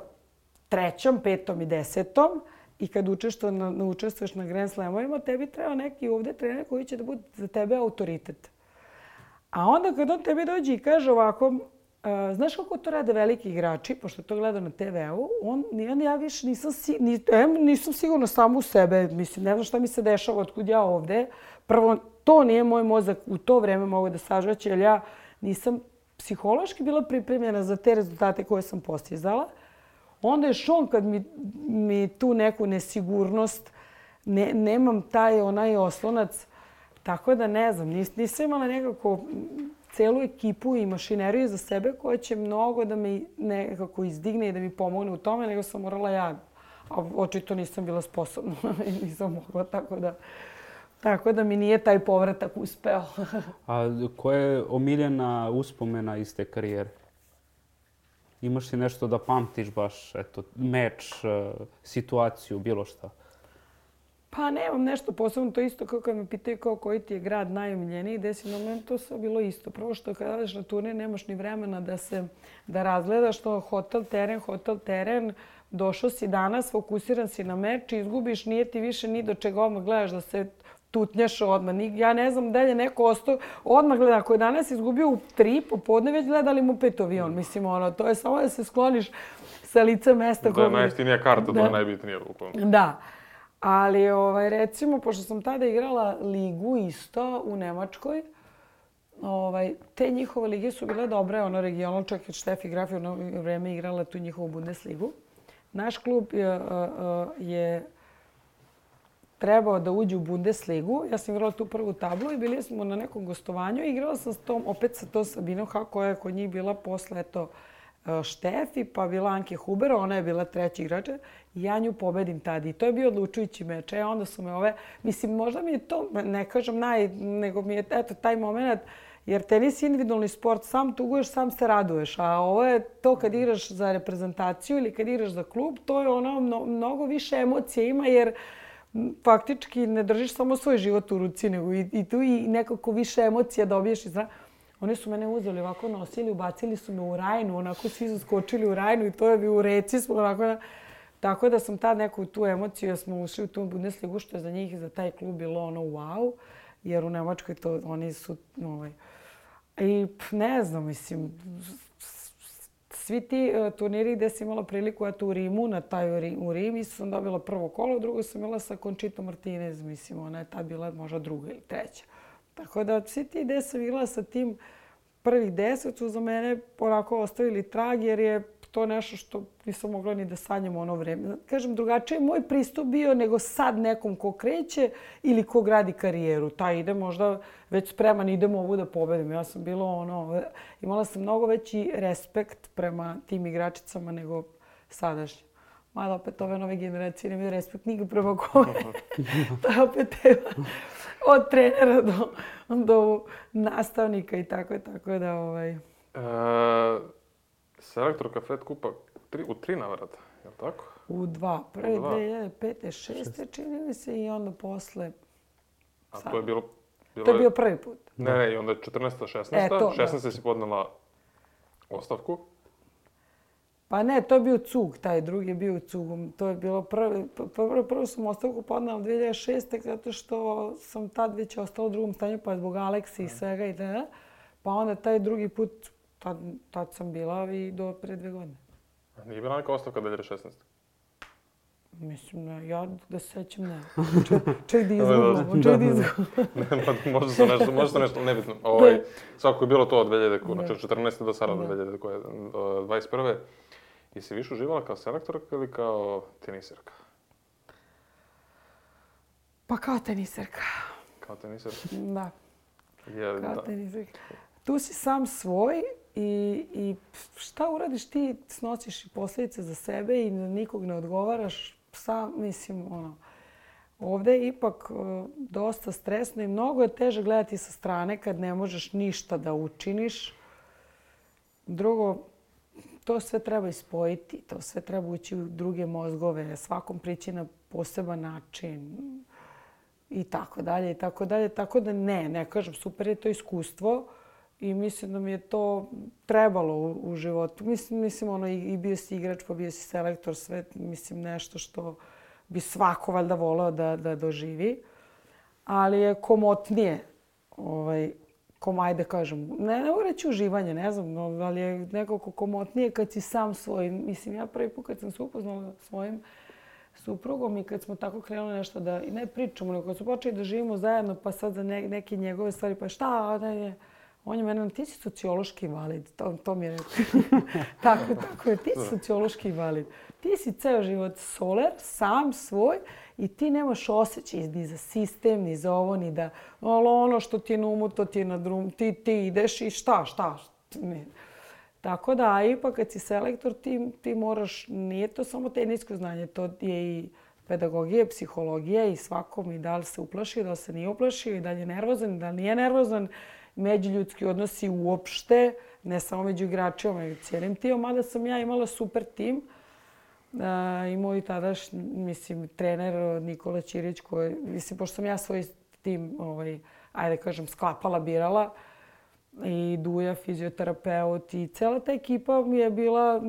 trećom, petom i desetom i kad učestvuješ na, učestvuješ na Grand Slamovima, tebi treba neki ovdje trener koji će da bude za tebe autoritet. A onda kad on tebi dođe i kaže ovako, Uh, znaš kako to rade veliki igrači, pošto to gleda na te veu, on, on, ja više nisam, ni, em, nisam sigurno samo u sebe, mislim, ne znam šta mi se dešava otkud ja ovde. Prvo, to nije moj mozak u to vreme mogu da sažvaće, jer ja nisam psihološki bila pripremljena za te rezultate koje sam postizala. Onda je šon kad mi, mi tu neku nesigurnost, ne, nemam taj onaj oslonac, tako da ne znam, nis, nisam imala nekako celu ekipu i mašineriju za sebe koja će mnogo da me nekako izdigne i da mi pomogne u tome, nego sam morala ja. A očito nisam bila sposobna i nisam mogla, tako da, tako da mi nije taj povratak uspeo. A koja je omiljena uspomena iz te karijere? Imaš li nešto da pamtiš baš, eto, meč, situaciju, bilo šta? Pa nemam nešto posebno, to isto kao kad me pitaju kao koji ti je grad najomiljeniji, desi na meni to sve bilo isto. Prvo što kada odeš na turnir nemaš ni vremena da se da razgledaš to hotel, teren, hotel, teren. Došao si danas, fokusiran si na meč, izgubiš, nije ti više ni do čega odmah gledaš da se tutnjaš odmah. Ja ne znam da li je neko ostao odmah gleda. Ako je danas izgubio u tri popodne, već gledali mu pet avion. Mislim, ono, to je samo da se skloniš sa lica mesta. Da je najjeftinija karta, to je najbitnije. Da. Ali, ovaj, recimo, pošto sam tada igrala ligu isto u Nemačkoj, ovaj, te njihove lige su bile dobre, ono regionalno, čak i Štefi Graf je ono vreme igrala tu njihovu Bundesligu. Naš klub je, je trebao da uđe u Bundesligu. Ja sam igrala tu prvu tablu i bili smo na nekom gostovanju. Igrala sam s tom, opet sa to Sabinom Ha, koja je kod njih bila posle eto, Štefi, pa bila Anke Huber, ona je bila treći igrač. I ja nju pobedim tada. I to je bio odlučujući meč. E, onda su me ove... Mislim, možda mi je to, ne kažem naj, nego mi je eto, taj moment, jer tenis je individualni sport, sam tuguješ, sam se raduješ. A ovo je to kad igraš za reprezentaciju ili kad igraš za klub, to je ono, mnogo više emocije ima, jer faktički ne držiš samo svoj život u ruci, nego i, i tu i nekako više emocija dobiješ iz rana. Oni su mene uzeli ovako, nosili, ubacili su me u Rajnu, onako svi su skočili u Rajnu i to je bi u reci smo onako. Tako da sam tad neku tu emociju, ja smo ušli u tu Bundesligu, što je za njih i za taj klub bilo ono wow, jer u Nemačkoj to oni su ovaj. I ne znam, mislim, svi ti uh, turniri gde sam imala priliku, eto u Rimu, na taj u Rim, isto sam dobila prvo kolo, drugo sam imala sa Conchito Martinez, mislim, ona je tad bila možda druga ili treća. Tako da svi ti gde sam igrala sa tim prvih deset su za mene onako ostavili trag, jer je to nešto što nisam mogla ni da sanjam ono vreme. Kažem, drugačije je moj pristup bio nego sad nekom ko kreće ili ko gradi karijeru. Taj ide možda već spreman, idemo ovu da pobedim. Ja sam bila ono, imala sam mnogo veći respekt prema tim igračicama nego sadašnje. Mada opet ove nove generacije nemaju respekt nikad prema kome. To je opet tema od trenera do, do nastavnika i tako, tako da ovaj... E, selektor Kafet kupa tri, u tri navrata, je li tako? U dva. Prve dve hiljade pete, šeste čini mi se i onda posle... A sad. To je bilo... bilo to je bio prvi put. Ne, ne, i onda je četrnaesta, šesnaesta. E, to, šesnaesta si podnela ostavku. Pa ne, to je bio cug, taj drugi je bio cugom. To je bilo prvi, prvo, prvo sam ostavku podnela dve hiljade šeste. zato što sam tad već ostala u drugom stanju, pa zbog Aleksi i svega i da. Pa onda taj drugi put, tad, tad sam bila i do pre dve godine. A nije bila neka ostavka dve hiljade šesnaeste? Mislim, ne, ja da se sećam ne. Ček da izgubimo, ček da izgubimo. Ne, možda se nešto, možda se nešto nebitno. Ovaj, svako je bilo to od dve hiljade, znači četrnaeste do sada, dve hiljade dvadeset prve. I si više uživala kao selektorka ili kao teniserka? Pa kao teniserka. Kao teniserka? Da. Jer, kao da. teniserka. Tu si sam svoj i, i šta uradiš ti snosiš i posljedice za sebe i nikog ne odgovaraš. Sam, mislim, ono, ovdje je ipak uh, dosta stresno i mnogo je teže gledati sa strane kad ne možeš ništa da učiniš. Drugo, to sve treba ispojiti, to sve treba ući u druge mozgove, svakom prići na poseban način i tako dalje i tako dalje. Tako da ne, ne kažem, super je to iskustvo i mislim da mi je to trebalo u, u životu. Mislim, mislim ono, i, i bio si igrač, pa bio si selektor, sve, mislim, nešto što bi svako valjda voleo da, da doživi. Ali je komotnije, ovaj, kom ajde kažem, ne, ne reći uživanje, ne znam, ali je nekako komotnije kad si sam svoj. Mislim, ja prvi put kad sam se upoznala svojim suprugom i kad smo tako krenuli nešto da, i ne pričamo, nego kad smo počeli da živimo zajedno, pa sad za ne, neke njegove stvari, pa šta, ne, ne, on je mene, ti si sociološki invalid, to, to mi je rekao. tako, tako je, ti si sociološki invalid. Ti si ceo život soler, sam, svoj, i ti nemaš osjećaj ni za sistem, ni za ovo, ni da ono što ti je na umu, to ti je na drum, ti, ti ideš i šta, šta. Ne. Tako da, a ipak kad si selektor, ti, ti moraš, nije to samo tenisko znanje, to je i pedagogija, psihologija i svakom i da li se uplaši, da li se nije uplašio i da li je nervozan, da li nije nervozan. Međuljudski odnosi uopšte, ne samo među igračima, nego cijelim timom, mada sam ja imala super tim. A, I moj tadaš, mislim, trener Nikola Ćirić, koji, mislim, pošto sam ja svoj tim, ovaj, ajde kažem, sklapala, birala, i Duja, fizioterapeut, i cela ta ekipa mi je bila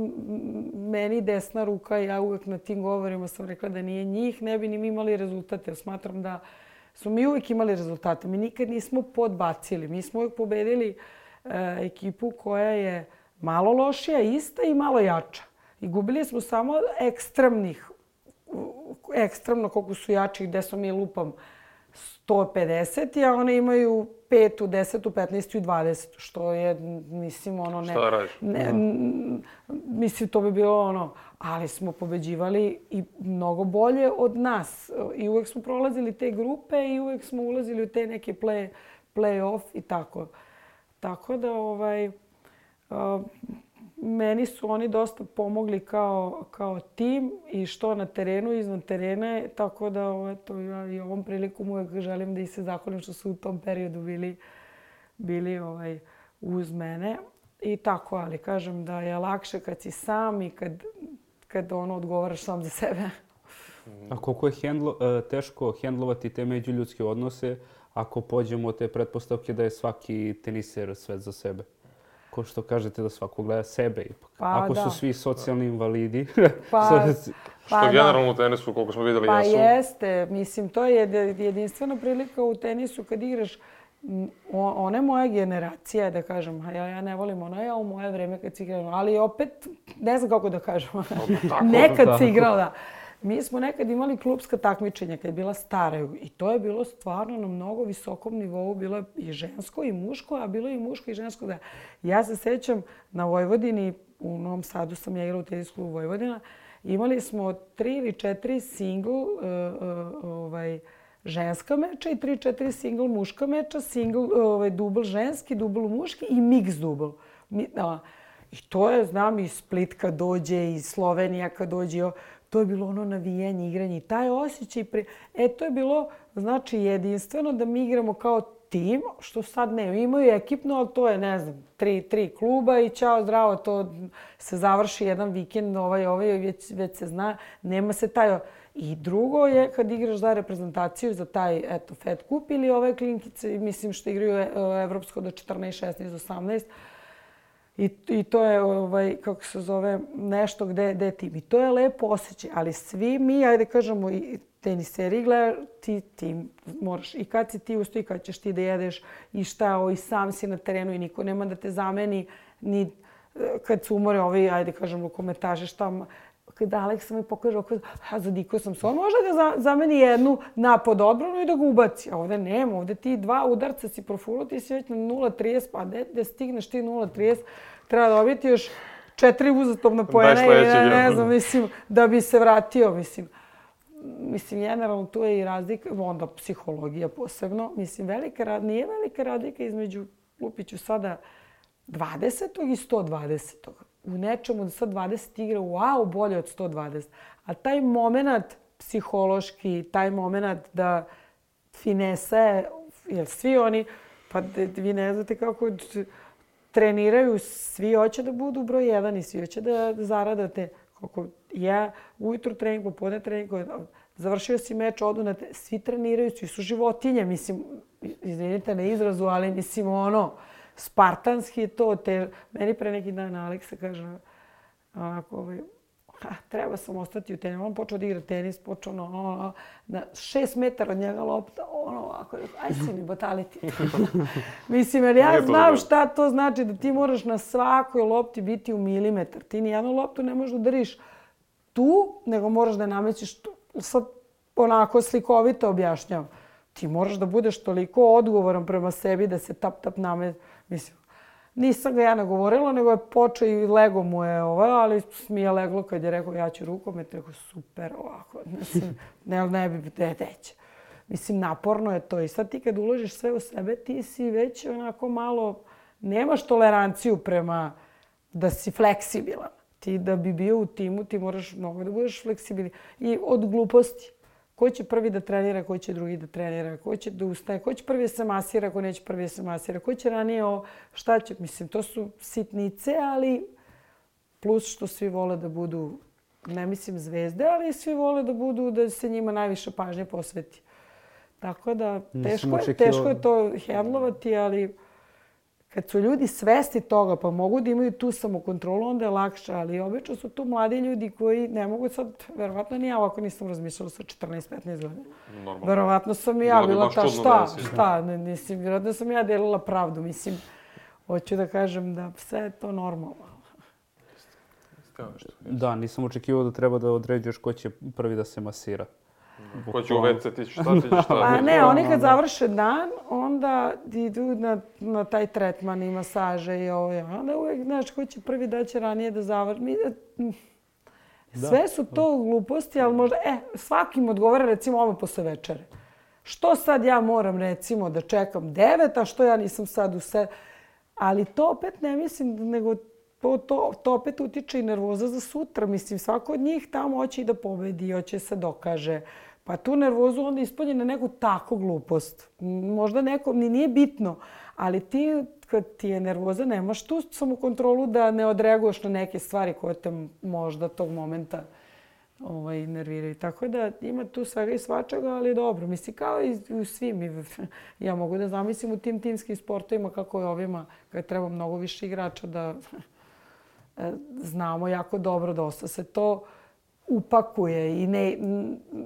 meni desna ruka. Ja uvek na tim govorima sam rekla da nije njih, ne bi ni mi imali rezultate. Jer smatram da smo mi uvek imali rezultate. Mi nikad nismo podbacili. Mi smo uvek pobedili e, ekipu koja je malo lošija, ista i malo jača. I gubili smo samo ekstremnih, ekstremno koliko su jači, gde smo mi lupam sto pedeset, a one imaju petu, desetu, petnaestu i dvadesetu, što je, mislim, ono... Ne, šta da radiš? Ne, mislim, to bi bilo ono... Ali smo pobeđivali i mnogo bolje od nas. I uvek smo prolazili te grupe i uvek smo ulazili u te neke play, play-off i tako. Tako da, ovaj... Uh, meni su oni dosta pomogli kao, kao tim i što na terenu i izvan terena. Tako da, eto, ja i ovom prilikom uvek želim da ih se zahvalim što su u tom periodu bili, bili ovaj, uz mene. I tako, ali kažem da je lakše kad si sam i kad, kad ono odgovaraš sam za sebe. A koliko je hendlo, teško hendlovati te međuljudske odnose ako pođemo od te pretpostavke da je svaki teniser sve za sebe? Ko što kažete da svako gleda sebe ipak. Pa, ako da. su svi socijalni invalidi. Pa, što pa, generalno u tenisu, koliko smo vidjeli, pa jesu. Pa jeste. Mislim, to je jedinstvena prilika u tenisu kad igraš one moje generacije, da kažem. Ja, ja ne volim ono, ja u moje vreme kad si igrala. Ali opet, ne znam kako da kažem. Nekad si igrala, da. Mi smo nekad imali klubska takmičenja kad je bila stara i to je bilo stvarno na mnogo visokom nivou. Bilo je i žensko i muško, a bilo je i muško i žensko. Da. Ja se sećam na Vojvodini, u Novom Sadu sam ja igrala u tenis klubu Vojvodina. Imali smo tri ili četiri single uh, uh, ovaj, ženska meča i tri, četiri single muška meča, single, ovaj, dubl ženski, dubl muški i mix dubl. Mi, a, I to je, znam, i Split kad dođe, i Slovenija kad dođe. To je bilo ono navijanje, igranje i taj osjećaj. Pre... E, to je bilo, znači, jedinstveno da mi igramo kao tim, što sad ne. Imaju ekipno, ali to je, ne znam, tri, tri kluba i ćao, zdravo, to se završi jedan vikend, ovaj, ovaj, već, već se zna. Nema se taj... I drugo je kad igraš za reprezentaciju, za taj, eto, Fed Cup ili ove klinkice, mislim što igraju evropsko do četrnaest, šesnaest, osamnaest. I, I to je, ovaj, kako se zove, nešto gde, gde je tim. I to je lepo osjećaj. Ali svi mi, ajde kažemo, i teniseri gleda, ti, ti moraš. I kad si ti usto, i kad ćeš ti da jedeš, i šta, o, i sam si na terenu i niko nema da te zameni. Ni kad su umore ovi, ajde kažem, rukometaže, šta... Kada Aleksa mi pokaže, a zadiko sam se, on može da zameni jednu napad odbranu i da ga ubaci. A ovdje nema, ovdje ti dva udarca si profulo, ti si već na nula trideset, pa gde stigneš ti nula trideset, treba dobiti još četiri uzastopna poena i ne, ne znam, mislim, da bi se vratio, mislim. Mislim, generalno tu je i razlika, onda psihologija posebno. Mislim, velika, nije velika razlika između, lupiću sada, dvadesetog i sto dvadesetog. U nečemu da sad dvadeset igra, wow, bolje od sto dvadeset. A taj moment psihološki, taj moment da finesa je, jer svi oni, pa vi ne znate kako treniraju, svi hoće da budu broj jedan i svi hoće da zaradate. Koliko ja ujutru trening, popodne trening, završio si meč, odu na te, svi treniraju, svi su životinje, mislim, izvinite na izrazu, ali mislim ono, spartanski je to. Te, meni pre neki dan Aleksa kaže, onako, ovaj, ha, treba sam ostati u tenisu. On počeo da igra tenis, počeo ono, ono, na šest metara od njega lopta, ono ovako, aj si mi bataliti. Mislim, jer ja znam šta to znači da ti moraš na svakoj lopti biti u milimetar. Ti nijednu loptu ne možeš da udariš tu, nego moraš da je namećiš tu. Sad onako slikovito objašnjavam. Ti moraš da budeš toliko odgovoran prema sebi da se tap tap namet. Mislim, nisam ga ja nagovorila, nego je počeo i lego mu je ovaj, ali mi je leglo kad je rekao ja ću rukomet, rekao super ovako, mislim, ne, ne bi, ne, neće. Mislim, naporno je to i sad ti kad uložiš sve u sebe, ti si već onako malo, nemaš toleranciju prema da si fleksibilan. Ti da bi bio u timu, ti moraš mnogo da budeš fleksibilan. I od gluposti. Ko će prvi da trenira, ko će drugi da trenira, ko će da ustaje, ko će prvi da se masira, ko neće prvi da se masira, ko će ranije o šta će. Mislim, to su sitnice, ali plus što svi vole da budu ne mislim zvezde, ali svi vole da budu, da se njima najviše pažnje posveti. Tako da, teško je, teško je to hendlovati, ali kad su ljudi svesti toga, pa mogu da imaju tu samokontrolu, onda je lakše, ali obično su tu mladi ljudi koji ne mogu sad, verovatno ni ja ovako nisam razmišljala sa četrnaest petnaest godina. Normalno. Verovatno sam i ja Bilo bi bila baš ta čudno šta, da si. šta, ne, mislim, vjerojatno sam ja delila pravdu, mislim, hoću da kažem da sve je to normalno. Evo nešto. Da, nisam očekivao da treba da određuješ ko će prvi da se masira. Ko će u ve ce, ti ćeš šta, ti ćeš šta. Pa ne, oni kad završe dan, onda idu na, na taj tretman i masaže i ovo. Onda uvijek, znaš, ko će prvi da će ranije da završi. Mi, sve su to gluposti, ali možda, e, svakim odgovara recimo ovo posle večere. Što sad ja moram recimo da čekam devet, a što ja nisam sad u se... Ali to opet ne mislim, nego to, to, to opet utiče i nervoza za sutra. Mislim, svako od njih tamo hoće i da pobedi, hoće se dokaže. Pa tu nervozu onda ispolje na neku tako glupost. Možda neko, ni nije bitno, ali ti, kad ti je nervoza, nemaš tu samokontrolu da ne odreaguješ na neke stvari koje te možda tog momenta ovaj, nerviraju. Tako da ima tu svega i svačega, ali dobro. Mislim, kao i u svim. Ja mogu da zamislim u tim timskim sportovima kako je ovima, kad treba mnogo više igrača da znamo jako dobro dosta se to upakuje i ne,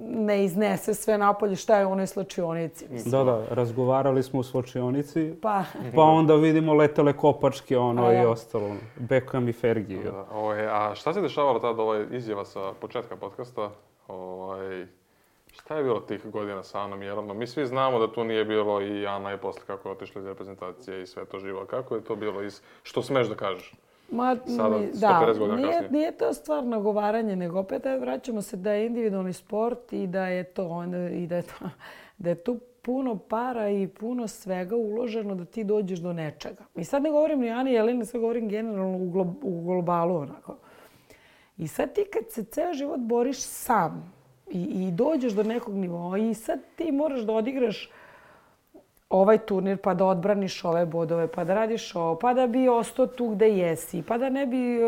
ne iznese sve napolje šta je u onoj slačionici. Da, da, razgovarali smo u slačionici, pa, pa onda vidimo letele kopačke ono a, i da. ostalo. Beckham i Fergie. Da, ovaj, a šta se dešavalo tada, ovaj izjava sa početka podcasta? Ovaj, šta je bilo tih godina sa Anom Jelenom? Mi svi znamo da tu nije bilo i Ana je posle kako je otišla iz reprezentacije i sve to živo. Kako je to bilo? Iz, što smeš da kažeš? Ma, Sada, mi, sto da, pedeset godina nije, kasnije. nije to stvar nagovaranje, nego opet ajde, vraćamo se da je individualni sport i da je to onda, i da je to, da je tu puno para i puno svega uloženo da ti dođeš do nečega. I sad ne govorim ni Ani Jeleni, sad govorim generalno u, glo, u globalu onako. I sad ti kad se ceo život boriš sam i, i dođeš do nekog nivoa i sad ti moraš da odigraš ovaj turnir, pa da odbraniš ove bodove, pa da radiš ovo, pa da bi ostao tu gde jesi, pa da ne bi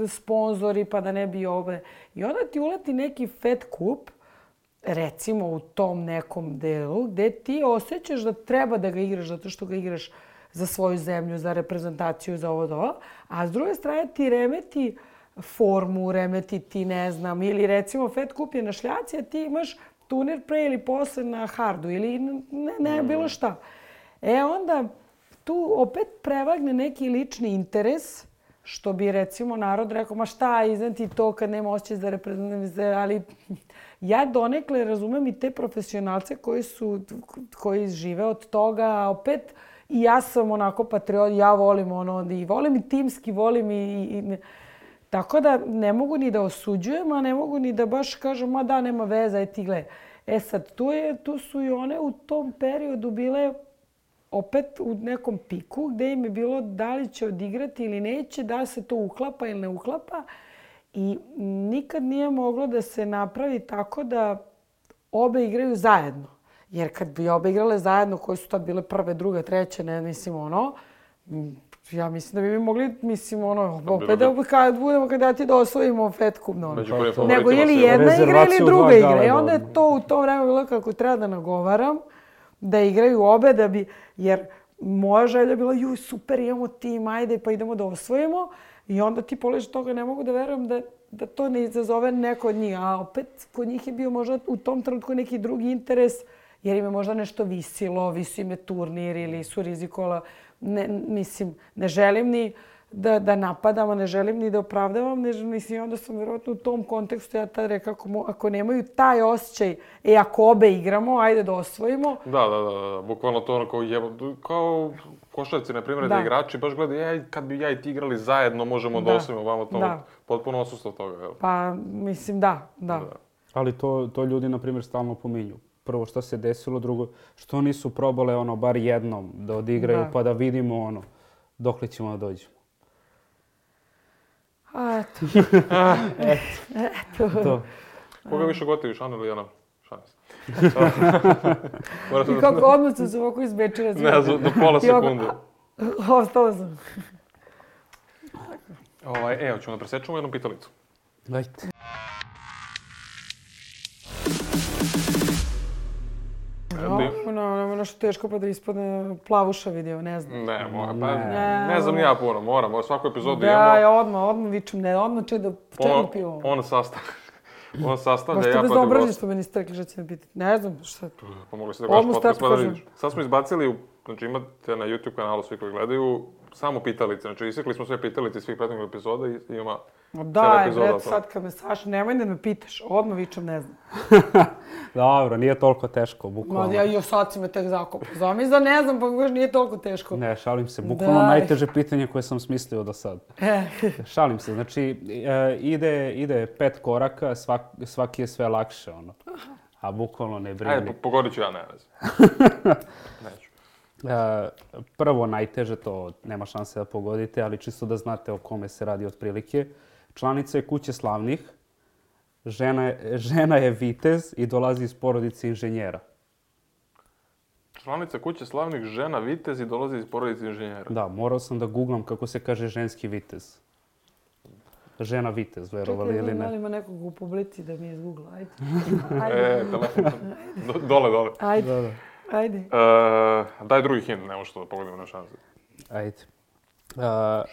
sponzori, pa da ne bi ove. I onda ti uleti neki Fed kup, recimo u tom nekom delu, gde ti osjećaš da treba da ga igraš zato što ga igraš za svoju zemlju, za reprezentaciju, za ovo, ovo. A s druge strane ti remeti formu, remeti ti, ne znam, ili recimo Fed kup je na šljaci, a ti imaš turnir pre ili posle na hardu ili ne, ne bilo šta. E onda tu opet prevagne neki lični interes, što bi recimo narod rekao, ma šta, iznad ti to kad nema osjećaj za reprezentaciju, ali ja donekle razumem i te profesionalce koji su, koji žive od toga, a opet i ja sam onako patriot, ja volim ono, i volim i timski, volim i, i tako da ne mogu ni da osuđujem, a ne mogu ni da baš kažem, ma da, nema veze, aj ti gledaj. E sad, tu, je, tu su i one u tom periodu bile opet u nekom piku gde im je bilo da li će odigrati ili neće, da li se to uklapa ili ne uklapa. I nikad nije moglo da se napravi tako da obe igraju zajedno. Jer kad bi obe igrale zajedno, koje su tad bile prve, druge, treće, ne mislim ono, ja mislim da bi mi mogli, mislim, ono, opet da kad budemo kandidati da osvojimo Fed kup, no, nego ili jedna igra ili druga igra. I onda je to u to vreme bilo kako treba da nagovaram, da igraju obe, da bi, jer moja želja je bila, juj, super, imamo tim, ajde, pa idemo da osvojimo. I onda ti poleži toga, ne mogu da verujem da, da to ne izazove neko od njih. A opet, kod njih je bio možda u tom trenutku neki drugi interes, jer im je možda nešto visilo, visio im je turnir ili su rizikovali. Ne, mislim, ne želim ni da, da napadam, a ne želim ni da opravdavam. Ne, mislim, onda sam vjerojatno u tom kontekstu ja tad rekao, ako, ako nemaju taj osjećaj, e, ako obe igramo, ajde da osvojimo. Da, da, da, da. Bukvalno to ono kao, jebo, kao košarci, na primjer, da. da igrači baš gledaju, ej, kad bi ja i ti igrali zajedno, možemo da, da osvojimo vamo to. Da. Potpuno odsustvo toga, jel? Pa, mislim, da, da. da. Ali to, to ljudi, na primjer, stalno pominju. Prvo što se desilo, drugo što nisu probale ono bar jednom da odigraju da. Pa da vidimo ono dokle ćemo da dođemo. A, eto. eto. eto. To. Koga više gotiviš, Ana ili Ana? Šalim se. I kako odmah sam se ovako izbečila. Ne, za, do pola sekunde. Ostala sam. Ovaj, evo, ćemo da presečemo jednu pitalicu. Dajte. ono, nema nešto teško pa da ispadne plavuša video, ne znam. Ne, mora, pa Ne. ne znam ni ja puno, moram, mora svaku epizodu Da, imamo. ja odmah, odmah vičem, ne, odmah če da On, čemu pivo. on sastavlja, on sastavlja, Možete ja bez pa da obražnje gost. što me niste rekli što će me pitati. Ne znam šta je to. Pa mogli ste da gledaš Odmah podcast pa da start vidiš. Sad smo izbacili, u- znači imate na YouTube kanalu svi koji gledaju, samo pitalice. Znači isekli smo sve pitalice iz svih prethodnih epizoda i i ima Ma cijela daj, epizoda o bre, tome. sad kad me saš, nemoj da me pitaš, odmah vičem, ne znam. Dobro, nije toliko teško, Ma bukvalno. ja i sad si me tek zakopao. Zamisli da ne znam, pa baš nije toliko teško. Ne, šalim se. Bukvalno Daj. najteže pitanje koje sam smislio do sad. E, Šalim se, znači e, ide, ide pet koraka, svak, svaki je sve lakše, ono. A bukvalno ne brini. Ajde, po- pogodit ću ja, ne, ne znam. Neću. E, prvo najteže, to nema šanse da pogodite, ali čisto da znate o kome se radi otprilike. Članica je kuće slavnih, žena je, žena je vitez i dolazi iz porodice inženjera. Članica kuće slavnih žena vitez i dolazi iz porodice inženjera. Da, morao sam da googlam kako se kaže ženski vitez. Žena vitez, verovali čekaj, ili da ne. li ima nekog u publici da mi je izgoogla, ajde. E, Ajde, telefon. Do- Dole, dole. ajde, Da, da. ajde. E, daj drugi hint, ne možeš to da pogodimo na šanse. Ajde. A,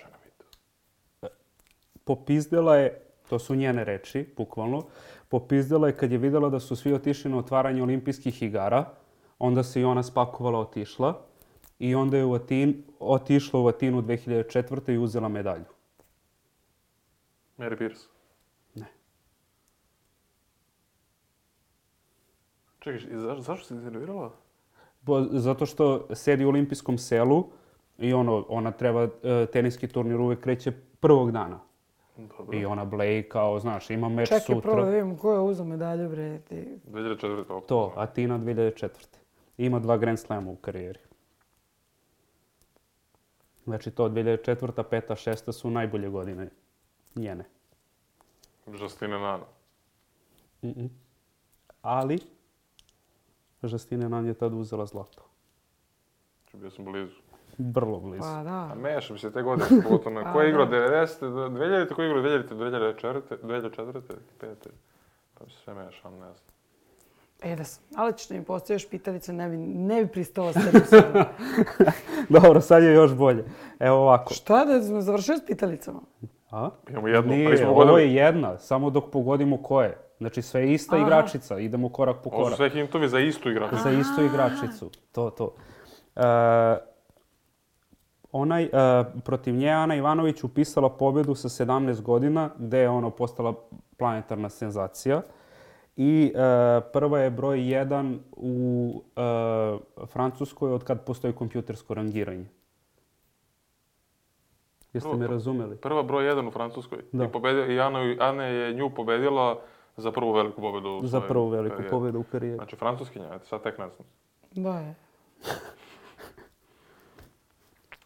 popizdela je, to su njene reči, bukvalno, popizdela je kad je vidjela da su svi otišli na otvaranje olimpijskih igara, onda se i ona spakovala, otišla i onda je u Atin, otišla u Atinu dve hiljade četvrte i uzela medalju. Mary Pierce. Ne. Čekaj, i zaš, zašto si iznervirala? Bo, zato što sedi u olimpijskom selu i ono, ona treba, e, teniski turnir uvek kreće prvog dana. Dobro. I ona bleji kao, znaš, ima meč Čekaj, sutra. prvo da vidimo ko je uzeo medalju, bre. Ti. dve hiljade četvrte opet. To, Atina dve hiljade četvrte. Ima dva Grand Slama u karijeri. Znači to dve hiljade četvrta, peta, šesta su najbolje godine njene. Justine Nano. Mm-mm. Ali, Justine Nan je tad uzela zlato. Znači, bio sam blizu. Vrlo blizu. Pa A da. mešam se te godine, pogotovo na Pa ko je igrao da. devedesete, dve hiljadite, ko je igrao dve hiljadite, dve hiljade četvrte, dve hiljade četvrte, pete. Pa mi se sve mešam, ne znam. E da sam, ali ćeš da mi postaviš pitalice, ne bi, ne bi pristala s tebi sada. Dobro, sad je još bolje. Evo ovako. Šta da smo završili s pitalicama? A? Imamo jednu, pa Nije, nismo ovo pogodili. je jedna, samo dok pogodimo ko je. Znači sve je ista Aha. igračica, idemo korak po Ovo su korak. sve hintovi za istu igraču. Za istu igračicu. To, to. E, onaj, e, protiv nje Ana Ivanović upisala pobjedu sa sedamnaest godina, gde je ono postala planetarna senzacija. I e, prva je broj jedan u e, Francuskoj od kad postoji kompjutersko rangiranje. Jeste Prvo- me razumeli? Prva broj jedan u Francuskoj. Da. I, pobedio, i Ana, Ana je nju pobedila za prvu veliku pobedu u Za svojoj prvu veliku karijeri. pobjedu u karijeri. Znači, francuskinja, eto, sad tek ne znam. Da je.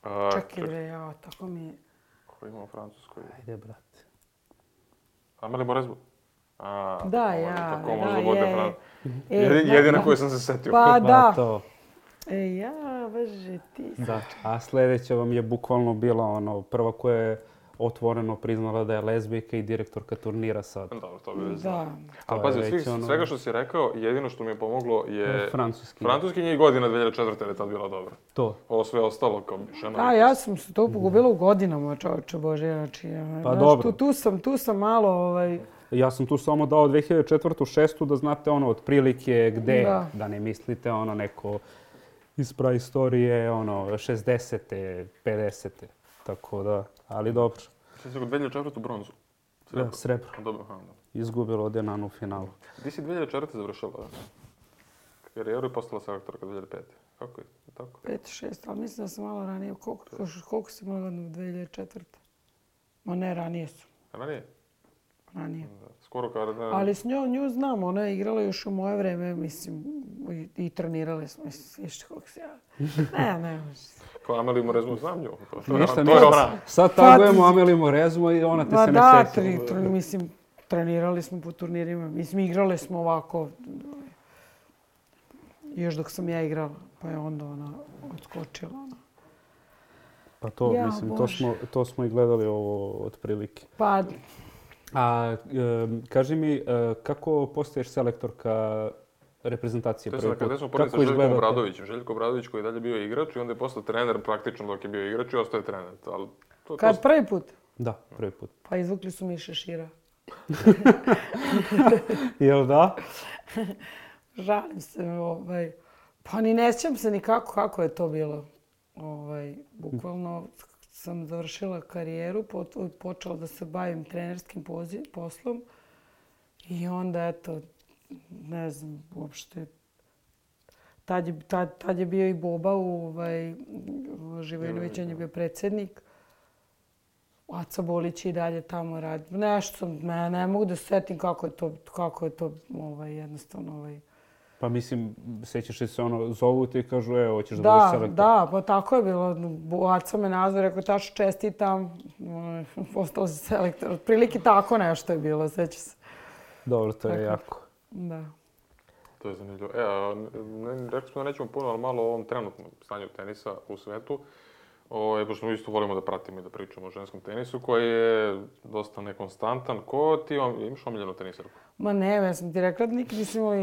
A, Čekaj, bre, ja, tako mi je. Ko ima u Francuskoj? Ajde, brate. Amelie Mauresmo. A, Da, tako može- ja, tako da, može da bude je. Fran- E, Jedi- da, Jedina da. koju sam se setio. Pa Pa da. to. E, ja, bože, ti. Da. A sljedeća vam je bukvalno bila ono, prva koja je otvoreno priznala da je lezbijka i direktorka turnira sad. Dobro, to bi već znao. Da. Ali To pazi, je od svih, već ono- svega što si rekao, jedino što mi je pomoglo je... Francuski. Francuskinja i godina dve hiljade četvrte jer je tad bila dobra. To. Ovo sve ostalo kao žena. A, ja sam se to pogubila u godinama, čovječe Bože, znači, ja, Pa znaš, dobro. Tu, tu sam, tu sam malo, ovaj, Ja sam tu samo dao dve hiljade četvrtu, šestu da znate ono otprilike gde, Da. da ne mislite ono neko iz praistorije, ono šezdesete, pedesete. Tako da, ali dobro. Sve si kod dve hiljade četvrte bronzu. Da, srebro. Dobro, aha, da. Izgubilo od Enanu u finalu. Ti si dve hiljade četvrte završila, da? Karijeru i postala selektorka dve hiljade pete. Kako je? Tako? pet, šest, ali mislim da sam malo ranije. Koliko, koliko si imala godina u dve hiljade četvrte? Ma ne, ranije su. Ranije? Ranije. Da. Skoro kao da... Ali s njom, nju znam, ona je igrala još u moje vreme, mislim, i, i trenirali smo, mislim, viš koliko se ja... Ne, ne, Kao Amelie Mauresmo znam nju. To, to, Ništa, to ništa. je ona. Sad tagujemo Amelie Mauresmo i ona te Ma se da, ne sjeća. tri, tri, mislim, trenirali smo po turnirima. Mislim, igrali smo ovako, još dok sam ja igrala, pa je onda ona odskočila. Ona. Pa to, Ja, mislim, to Bože. smo, to smo i gledali ovo otprilike. Pa, A e, kaži mi, e, kako postaješ selektorka reprezentacije To je prvi sad, kada put. smo poredili sa Kako Željkom izgledate? Obradovićem. Željko Obradović koji je dalje bio igrač i onda je postao trener praktično dok je bio igrač i ostao je trener. Ali to, to, Kad prvi put? Da, prvi put. Pa izvukli su mi šešira. Jel da? Žalim se, ovaj, pa ni ne sjećam se ni kako, kako je to bilo. Ovaj, bukvalno sam završila karijeru, po- počela da se bavim trenerskim pozi- poslom i onda, eto, ne znam, uopšte, tad je, tad, tad je bio i Boba, ovaj, Živojinović, on je bio predsjednik. Aca Bolić i dalje tamo radi. Nešto sam, ne, ne mogu da se setim kako je to, kako je to ovaj, jednostavno... Ovaj. Pa mislim, sećaš li se ono, zovu ti i kažu, evo, hoćeš da, Da, budeš selektor. da, pa tako je bilo. Aca me nazvao, rekao, tačno čestitam, postao si selektor. Otprilike tako nešto je bilo, seća se. Dobro, to je Tako. jako. Da. To je zanimljivo. E, a, ne, rekli smo da nećemo puno, ali malo o ovom trenutnom stanju tenisa u svetu. O, pošto mi isto volimo da pratimo i da pričamo o ženskom tenisu, koji je dosta nekonstantan. Ko ti vam, imaš omiljenu tenisarku? Ma ne, ja sam ti rekla da nikad nisam imala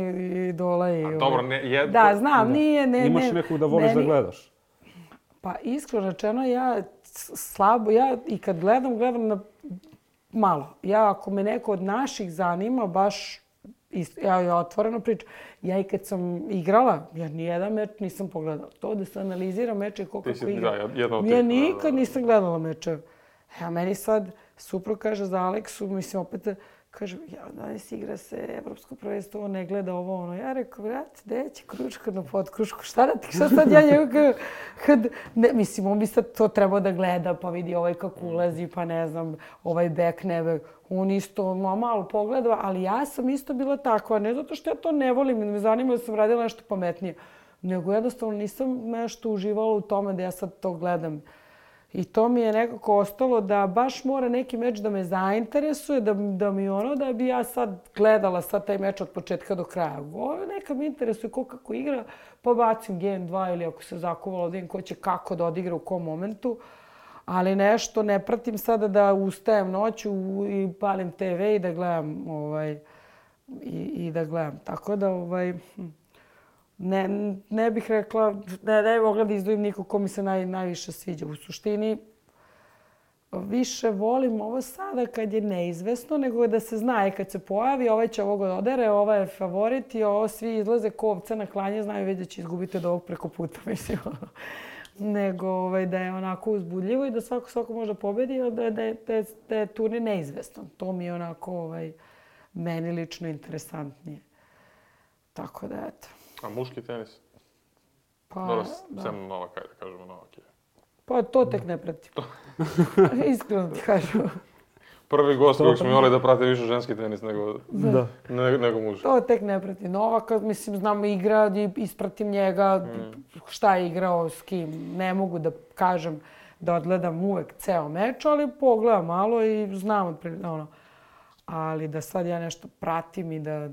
idola i... A dobro, ne, jedno... Da, znam, nije, ne, ne. Imaš nekog da voliš meni- da gledaš? Pa iskreno rečeno, ja s- slabo, ja i kad gledam, gledam na malo. Ja, ako me neko od naših zanima, baš, isto, ja, ja otvoreno pričam, ja i kad sam igrala, ja nijedan meč nisam pogledala. To da se analizira meče ko Ti kako si, igra. da, jedna od tih, Ja da, nikad da, da. nisam gledala mečeve. A meni sad suprug kaže za Aleksu, mislim opet, kaže, ja, danas igra se evropsko prvenstvo, on ne gleda ovo, ono. Ja rekao, brate, gde će kručka na potkrušku, šta da ti, šta sad ja njegu, kad, kad, ne, mislim, on bi sad to trebao da gleda, pa vidi ovaj kako ulazi, pa ne znam, ovaj back, ne back. On isto ma, malo pogleda, ali ja sam isto bila takva, ne zato što ja to ne volim, ne me zanima da sam radila nešto pametnije, nego jednostavno nisam nešto uživala u tome da ja sad to gledam. I to mi je nekako ostalo da baš mora neki meč da me zainteresuje, da, da mi ono, da bi ja sad gledala sad taj meč od početka do kraja. Ovo neka mi interesuje ko kako igra, pa bacim game dva ili ako se zakuvalo da vidim ko će kako da odigra u kom momentu. Ali nešto ne pratim sada da ustajem noću i palim te ve i da gledam ovaj, i, i da gledam. Tako da ovaj, hm, Ne, ne bih rekla, ne, ne bih mogla da izdvojim nikog ko mi se naj, najviše sviđa. U suštini, više volim ovo sada kad je neizvesno, nego da se zna i kad se pojavi, ovaj će ovog odere, ovaj je favorit i ovo svi izlaze ko ovca na klanje, znaju već da će izgubiti od ovog preko puta, mislim. Nego ovaj, da je onako uzbudljivo i da svako svako može pobedi, ali da, da, je, da, je, da je turnir neizvestan. To mi je onako ovaj, meni lično interesantnije. Tako da, eto. A muški tenis? Pa, Dobro, da. sem Novak, ajde kažemo Novak je. Pa to tek ne pratim. Iskreno ti kažem. Prvi gost kojeg smo imali da prate više ženski tenis nego, Da. ne, nego muški. To tek ne pratim. Novaka, mislim, znam igra i ispratim njega, šta je igrao, s kim. Ne mogu da kažem da odgledam uvek ceo meč, ali pogledam malo i znam otprilike, ono. Ali da sad ja nešto pratim i da...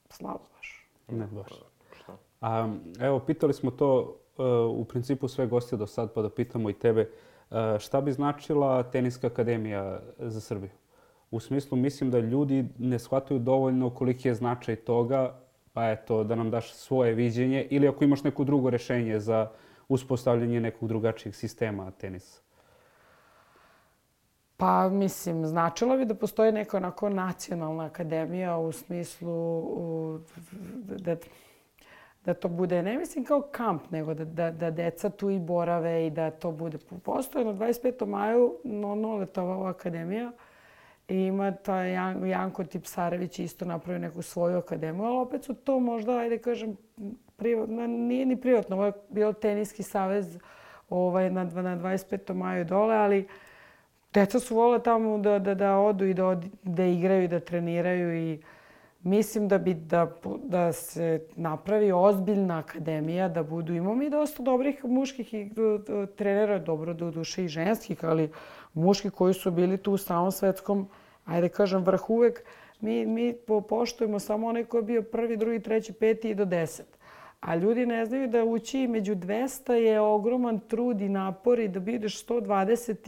Slabo baš. Ne, baš. Šta? A, evo, pitali smo to uh, u principu sve goste do sad, pa da pitamo i tebe. Uh, šta bi značila Teniska akademija za Srbiju? U smislu, mislim da ljudi ne shvataju dovoljno koliki je značaj toga, pa eto, da nam daš svoje viđenje ili ako imaš neko drugo rešenje za uspostavljanje nekog drugačijeg sistema tenisa. Pa, mislim, značilo bi da postoji neka onako nacionalna akademija u smislu u, da, da to bude, ne mislim kao kamp, nego da, da, da deca tu i borave i da to bude. Postoji na dvadeset petom maju Noletova ova akademija i ima taj Jan, Janko Tipsarević isto napravio neku svoju akademiju, ali opet su to možda, ajde kažem, privatno, nije ni privatno, ovo je bio Teniski savez ovaj, na, na dvadeset petom maju dole, ali deca su vole tamo da, da, da odu i da, od, da igraju i da treniraju i mislim da bi da, da se napravi ozbiljna akademija, da budu, imamo mi dosta dobrih muških i, trenera, dobro do duše i ženskih, ali muški koji su bili tu u samom svetskom, ajde kažem, vrh uvek. Mi, mi poštujemo samo onaj koji je bio prvi, drugi, treći, peti i do deset. A ljudi ne znaju da ući među dvesta je ogroman trud i napor i da budeš sto dvadeset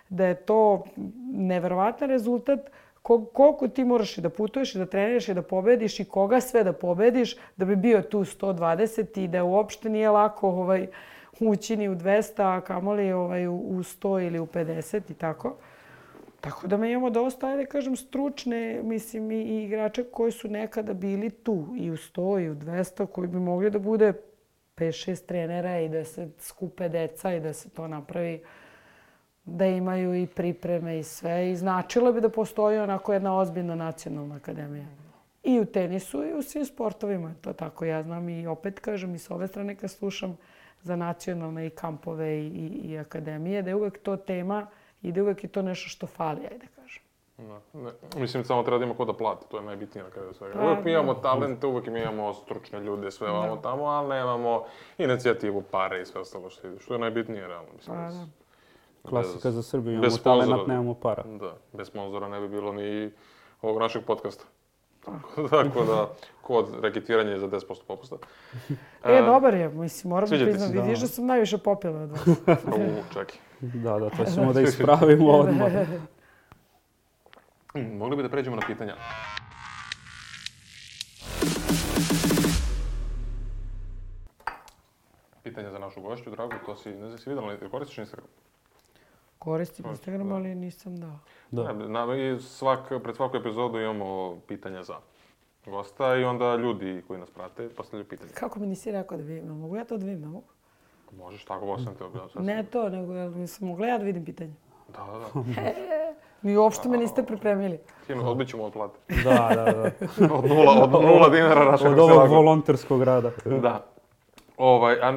da je to neverovatan rezultat Koliko ti moraš i da putuješ i da treniraš i da pobediš i koga sve da pobediš da bi bio tu sto dvadeset i da uopšte nije lako ovaj, ući ni u dvesta, a kamoli ovaj, u sto ili u pedeset i tako. Tako da mi imamo dosta, ajde kažem, stručne, mislim, i, i igrače koji su nekada bili tu i u sto i u dvesta, koji bi mogli da bude pet šest trenera i da se skupe deca i da se to napravi, da imaju i pripreme i sve. I značilo bi da postoji onako jedna ozbiljna nacionalna akademija. I u tenisu i u svim sportovima. To tako ja znam i opet kažem i s ove strane kad slušam za nacionalne i kampove i, i, i akademije, da je uvek to tema i da uvek je to nešto što fali, ajde kažem. Ne, ne. Mislim, samo treba da ima ko da plati, to je najbitnije na kraju svega. Uvek mi imamo talente, uvek mi imamo stručne ljude, sve ovamo tamo, ali nemamo inicijativu, pare i sve ostalo što ide. Što je najbitnije, realno. Mislim, Pa, da. Klasika za Srbiju, imamo talenat, nemamo para. Da, bez sponzora ne bi bilo ni ovog našeg podcasta. Tako da, kod reketiranja je za deset posto popusta. E, dobar je, mislim, moram da Sviđa ti priznam, se? vidiš da sam najviše popila od vas. U, čekaj. Da, da, to ćemo da ispravimo odmah. Mm, Mogli bi da pređemo na pitanja. Pitanja za našu gošću, Drago, to si, ne znam si vidjela, ali koristiš Instagram? Koristim Instagram, ali nisam dao. Da. Ne, na, i svak, pred svaku epizodu imamo pitanja za gosta i onda ljudi koji nas prate postavljaju pitanja. Kako mi nisi rekao da vidim? Mogu ja to da vidim? Ne mogu? Možeš, tako ovo sam te objavio. Ne to, nego jel nisam mogla ja da vidim pitanje. Da, da, da. Mi uopšte me niste pripremili. Tim odbit ćemo od plate. Da, da, da. Od nula, od nula dinara našeg Od ovog volonterskog rada. Da. Ovaj, a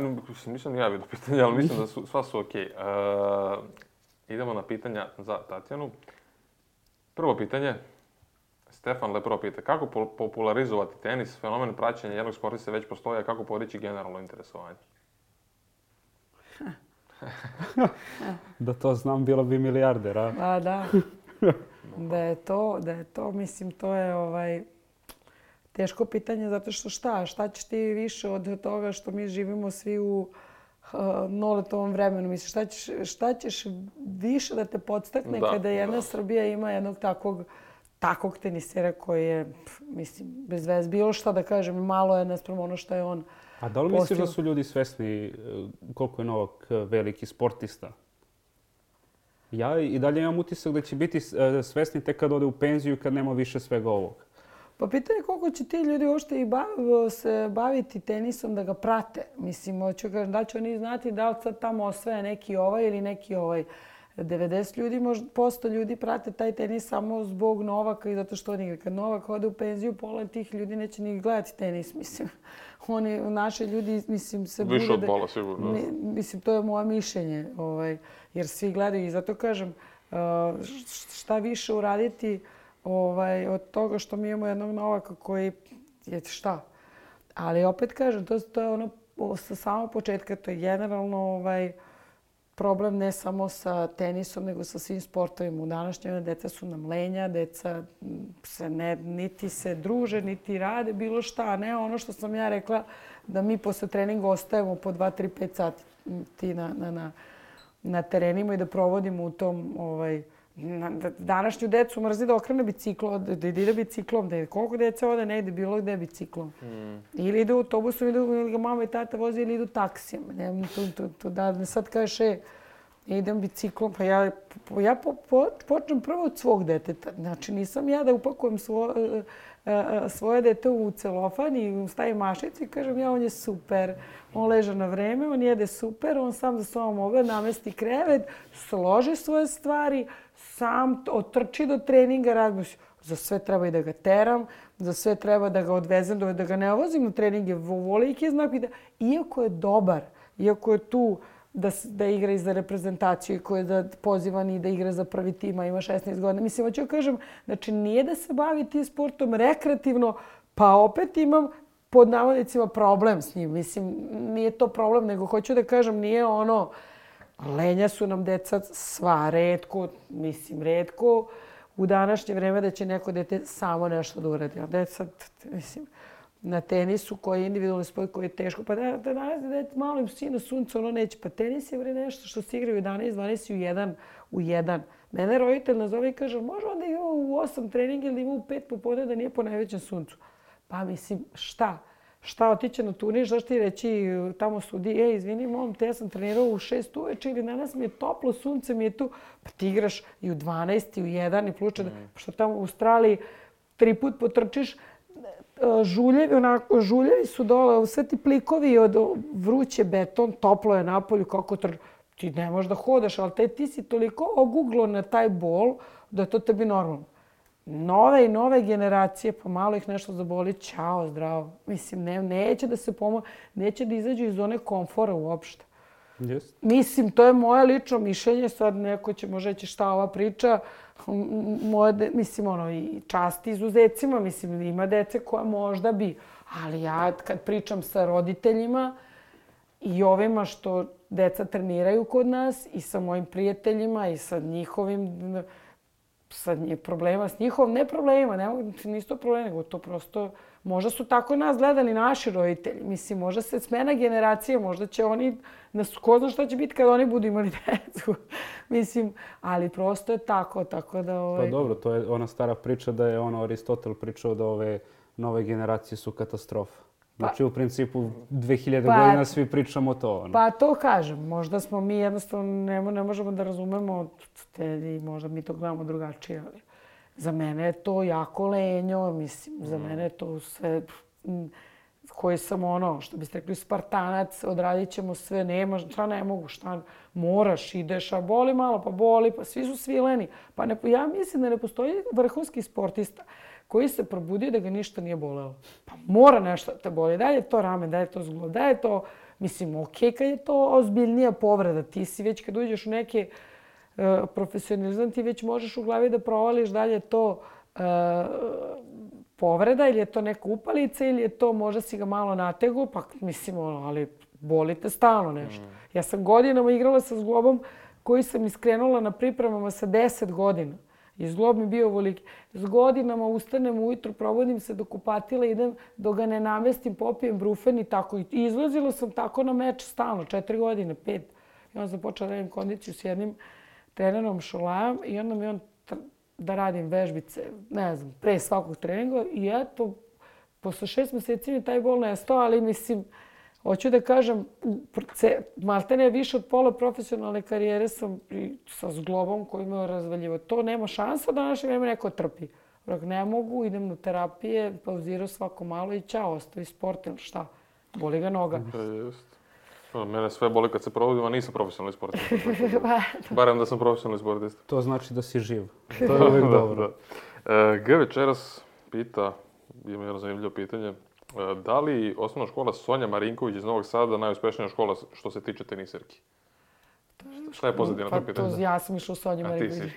nisam ni ja vidio pitanja, ali mislim da su, sva su okej. Okay. Uh, idemo na pitanja za Tatjanu. Prvo pitanje. Stefan Lepro pita, kako po popularizovati tenis? Fenomen praćenja jednog sportista već postoji, a kako podići generalno interesovanje? Da to znam, bilo bi milijarder, a? A da. Da je to, da je to, mislim, to je ovaj teško pitanje zato što šta? Šta ćeš ti više od toga što mi živimo svi u uh, noletovom vremenu? Mislim, šta ćeš, šta ćeš više da te podstakne da, kada jedna da. Srbija ima jednog takvog takvog tenisera koji je, mislim, bez veze, bilo šta da kažem, malo je naspram ono što je on. A da li misliš da su ljudi svesni koliko je Novak veliki sportista? Ja i dalje imam utisak da će biti svesni tek kad ode u penziju, kad nema više svega ovog. Pa pitanje je koliko će ti ljudi uopšte i bav, se baviti tenisom da ga prate. Mislim, hoću kažem, da će oni znati da li sad tamo osvaja neki ovaj ili neki ovaj. devedeset ljudi, možda posto ljudi prate taj tenis samo zbog Novaka i zato što on igra. Kad Novak ode u penziju, pola tih ljudi neće ni gledati tenis, mislim. Oni, naši ljudi, mislim, se bude... Više od pola, sigurno. Ne, mislim, to je moje mišljenje, ovaj, jer svi gledaju i zato kažem, šta više uraditi ovaj, od toga što mi imamo jednog Novaka koji je šta. Ali opet kažem, to, to je ono sa samog početka, to je generalno ovaj, problem ne samo sa tenisom, nego sa svim sportovima. U današnjoj deca su nam lenja, deca se ne, niti se druže, niti rade bilo šta, a ne ono što sam ja rekla da mi posle treninga ostajemo po dva, tri, pet sati na, na, na, na terenima i da provodimo u tom... Ovaj, na, današnju decu mrzi da okrene biciklo, da ide biciklom, da je koliko deca ode, ne ide bilo gde biciklom. Mm. Ili ide autobusom, ili ga mama i tata vozi, ili idu taksijem. Ne, tu, tu, tu, da sad kažeš, e, idem biciklom, pa ja, ja po, po, počnem prvo od svog deteta. Znači, nisam ja da upakujem svo, svoje dete u celofan i stavim mašicu i kažem, ja, on je super. On leže na vreme, on jede super, on sam za sobom ogled, namesti krevet, složi svoje stvari, sam otrči do treninga, razmišljam, za sve treba i da ga teram, za sve treba da ga odvezem, da ga ne vozim na treninge, voliki znak i da, iako je dobar, iako je tu da, da igra i za reprezentaciju i koji je da pozivan i da igra za prvi tim, a ima šesnaest godina. Mislim, hoću kažem, znači nije da se bavi tim sportom rekreativno, pa opet imam pod navodnicima problem s njim. Mislim, nije to problem, nego hoću da kažem, nije ono, lenja su nam deca sva, retko, mislim, retko u današnje vreme da će neko dete samo nešto da uradi. A deca, mislim, na tenisu koji je individualni sport koji je teško, pa da, da danas dete malo im sine sunce, ono neće. Pa tenis je vre nešto što se igra u jedanaest, dvanaest i u jedan, u jedan. Mene roditelj nazove i kaže, može onda ima u osam trening ili ima u pet popodne da nije po najvećem suncu. Pa mislim, šta? Šta, otiće na turnir, šta ti reći tamo sudi, e, izvini, mom, te ja sam trenirao u šest uveče ili danas mi je toplo, sunce mi je tu. Pa ti igraš i u dvanaest, i u jedan, i pluče, mm. što tamo u Australiji tri put potrčiš, žuljevi, onako, žuljevi su dole, sve ti plikovi od vruće beton, toplo je napolju, kako trč... Ti ne možeš da hodaš, ali te, ti si toliko oguglo na taj bol da je to tebi normalno. Nove i nove generacije, pa malo ih nešto zaboli, ćao, zdravo. Mislim, ne, neće da se pomoći, neće da izađu iz zone komfora uopšte. Yes. Mislim, to je moje lično mišljenje, sad neko će možda reći šta ova priča, moje, de, mislim, ono, i časti izuzecima, mislim, ima dece koja možda bi, ali ja kad pričam sa roditeljima i ovima što deca treniraju kod nas i sa mojim prijateljima i sa njihovim sa problema s njihovom, ne problemima, ne, nisu to problemi, nego to prosto, možda su tako nas gledali naši roditelji. Mislim, možda se smena generacija, možda će oni, ko zna šta će biti kad oni budu imali decu. Mislim, ali prosto je tako, tako da... Ovaj... Pa dobro, to je ona stara priča da je ono Aristotel pričao da ove nove generacije su katastrofa. Znači, pa, u principu, dve hiljade pa, godina svi pričamo to. Ono. Pa to kažem. Možda smo mi jednostavno ne, ne možemo da razumemo te, i možda mi to gledamo drugačije. Ali za mene je to jako lenjo. Mislim, mm. za mene je to sve... koji sam ono, što biste rekli, spartanac, odradit ćemo sve, nema, šta ne mogu, šta moraš, ideš, a boli malo, pa boli, pa svi su svileni. Pa ne, ja mislim da ne postoji vrhunski sportista koji se probudio da ga ništa nije bolelo. Pa mora nešto da te boli. Da je to ramen, da je to zglob, da je to, mislim, okej, kad je to ozbiljnija povreda. Ti si već kad uđeš u neke uh, profesionalizam, ti već možeš u glavi da provališ da li je to uh, povreda ili je to neka upalica ili je to možda si ga malo nategu, pa mislim, ono, ali boli te stalno nešto. Mm. Ja sam godinama igrala sa zglobom koji sam iskrenula na pripremama sa deset godina. I zglob mi bio ovoliki. S godinama ustanem ujutru, probudim se do kupatila, idem dok ga ne namestim, popijem brufen i tako. I izlazila sam tako na meč stalno, četiri godine, pet. I onda sam počela da radim kondiciju s jednim trenerom Šolajom i onda mi on da radim vežbice, ne znam, pre svakog treninga. I eto, posle šest meseci mi taj bol nestao, ali mislim, hoću da kažem, maltene više od pola profesionalne karijere sam sa zglobom koji me razvaljivo. To nema šansa da naše vreme neko trpi. Rak, ne mogu, idem na terapije, pauzirao svako malo i ćao, ostavi sport ili šta. Boli ga noga. Da, jest. Mene sve boli kad se probudim, a nisam profesionalni sportista. Barem da sam profesionalni sportista. To znači da si živ. To je uvijek dobro. E, G večeras pita, ima jedno zanimljivo pitanje, da li osnovna škola Sonja Marinković iz Novog Sada najuspešnija škola što se tiče teniserki? Šta je pozadina pa, to pitanje? To, ja sam išla u Sonju Marinković.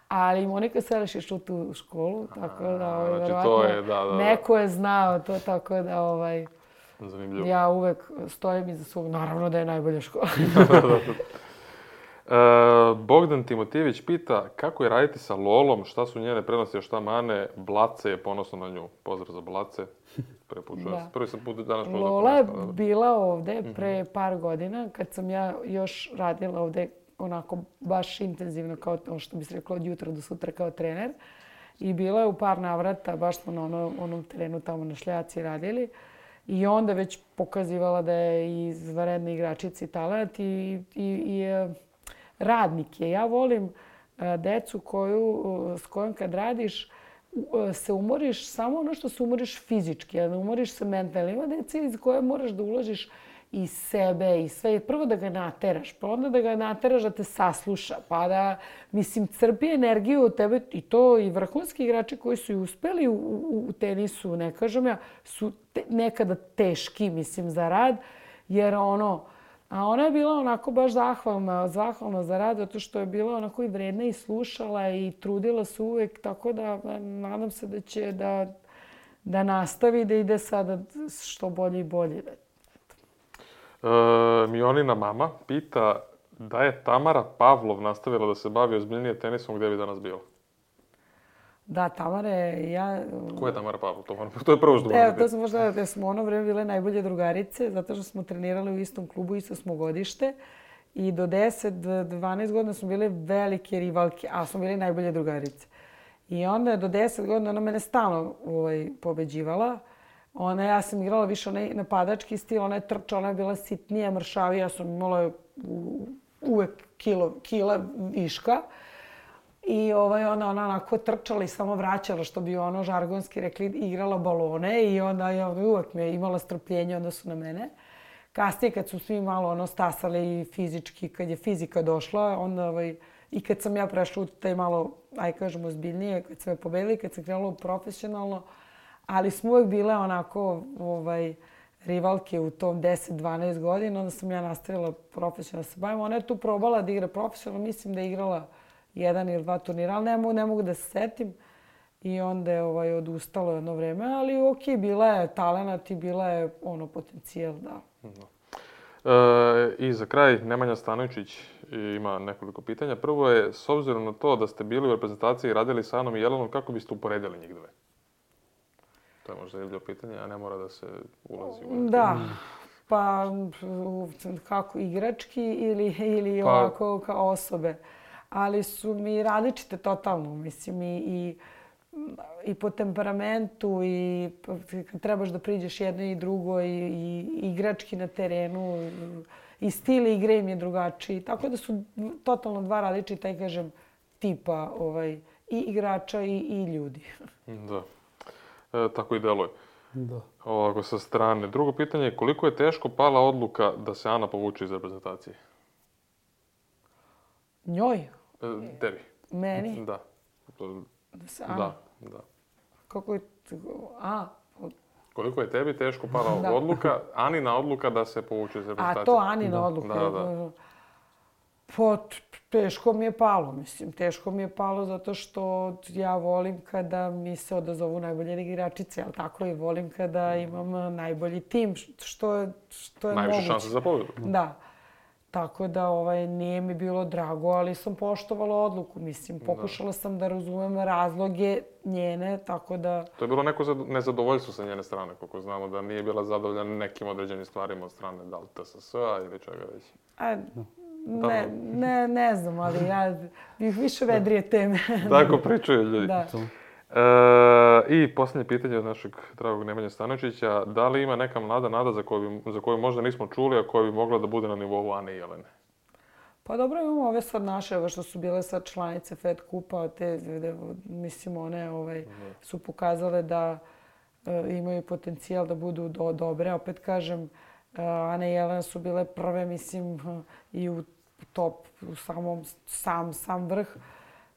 Ali Monika Seliš je išla u tu školu, tako da, ovaj, znači, verovatno, je, da, da, neko je znao to, tako da, ovaj, zanimljivo. Ja uvek stojim iza svog, naravno da je najbolja škola. e, Bogdan Timotijević pita kako je raditi sa Lolom, šta su njene prednosti, a šta mane. Blace je ponosno na nju. Pozdrav za Blace. Prvi put čujem. Prvi sam put danas možda Lola je bila ovde pre par godina, kad sam ja još radila ovde onako baš intenzivno, kao to što bi se reklo od jutra do sutra kao trener. I bila je u par navrata, baš smo na ono, onom terenu tamo na Šljaci radili. I onda već pokazivala da je izvanredna igračica i talent i, i, i radnik je. Ja volim decu koju, s kojom kad radiš se umoriš samo ono što se umoriš fizički, a ne umoriš se mentalno. Ima dece iz koje moraš da uložiš i sebe i sve. Prvo da ga nateraš, pa onda da ga nateraš da te sasluša, pa da, mislim, crpi energiju od tebe. I to i vrhunski igrači koji su i uspeli u, u, u tenisu, ne kažem ja, su te, nekada teški, mislim, za rad, jer ono, a ona je bila onako baš zahvalna, zahvalna za rad, zato što je bila onako i vredna i slušala i trudila se uvek, tako da nadam se da će da, da nastavi, da ide sada što bolje i bolje. E, Mionina mama pita da je Tamara Pavlov nastavila da se bavi ozbiljnije tenisom, gdje bi danas bila? Da, Tamara je, ja... Ko je Tamara Pavlov? To, to je prvo što Evo, to smo možda, da smo ono vreme bile najbolje drugarice, zato što smo trenirali u istom klubu, isto smo godište. I do deset dvanaest godina smo bile velike rivalke, a smo bile najbolje drugarice. I onda do deset godina ona mene stalno ovaj, pobeđivala. Ona, ja sam igrala više onaj napadački stil, ona je trčala, ona je bila sitnija, mršavija, ja sam imala u, uvek kilo, kila viška. I ovaj, ona, ona onako trčala i samo vraćala, što bi ono žargonski rekli, igrala balone i onda ja, uvek mi je imala strpljenje, onda su na mene. Kasnije kad su svi malo ono stasali i fizički, kad je fizika došla, onda ovaj, i kad sam ja prešla u taj malo, aj kažemo, ozbiljnije, kad sam je pobedila i kad sam krenula profesionalno, ali smo uvek bile onako ovaj, rivalke u tom deset dvanaest godina, onda sam ja nastavila profesionalno da se bavim. Ona je tu probala da igra profesionalno, mislim da je igrala jedan ili dva turnira, ali ne mogu, ne mogu da se setim. I onda je ovaj, odustalo jedno vreme, ali okej, bila je talenat i bila je ono potencijal, da. E, I za kraj, Nemanja Stanovičić ima nekoliko pitanja. Prvo je, s obzirom na to da ste bili u reprezentaciji i radili sa Anom i Jelenom, kako biste uporedili njih dve? To je možda jedno pitanje, a ne mora da se ulazi u... Da, pa kako igrački ili, ili pa... ovako kao osobe. Ali su mi različite totalno, mislim, i, i, i po temperamentu i kad trebaš da priđeš jedno i drugo i, i igrački na terenu i stil igre im je drugačiji. Tako da su totalno dva različita, taj kažem, tipa ovaj, i igrača i, i ljudi. Da, e, tako i deluje. Da. Ovako sa strane. Drugo pitanje je koliko je teško pala odluka da se Ana povuče iz reprezentacije? Njoj? E, tebi. Meni? Da. Da se Ana? Da, da. Kako je... A, koliko je tebi teško pala da. odluka, Anina odluka da se povuče iz reprezentacije? A to Anina da. odluka? Da, da. Pa, teško mi je palo, mislim. Teško mi je palo zato što ja volim kada mi se odazovu najbolje igračice, ali tako i volim kada imam najbolji tim, što je, što je najviše moguće. šanse za pobedu. Da. Tako da ovaj, nije mi bilo drago, ali sam poštovala odluku. Mislim, pokušala sam da razumem razloge njene, tako da... To je bilo neko nezadovoljstvo sa njene strane, koliko znamo, da nije bila zadovoljena nekim određenim stvarima od strane da li T S S-a ili čega već. A, ne, ne, ne znam, ali ja bih više vedrije teme. Tako pričaju ljudi. Da. E, I posljednje pitanje od našeg dragog Nemanje Stanovičića. Da li ima neka mlada nada za koju, za koju možda nismo čuli, a koja bi mogla da bude na nivou Ane i Jelene? Pa dobro, imamo ove sad naše, ove što su bile sad članice Fed Kupa, te, mislim, one ovaj, su pokazale da e, imaju potencijal da budu do, dobre. Opet kažem, e, Ana i Jelena su bile prve, mislim, i u top, u samom, sam, sam vrh,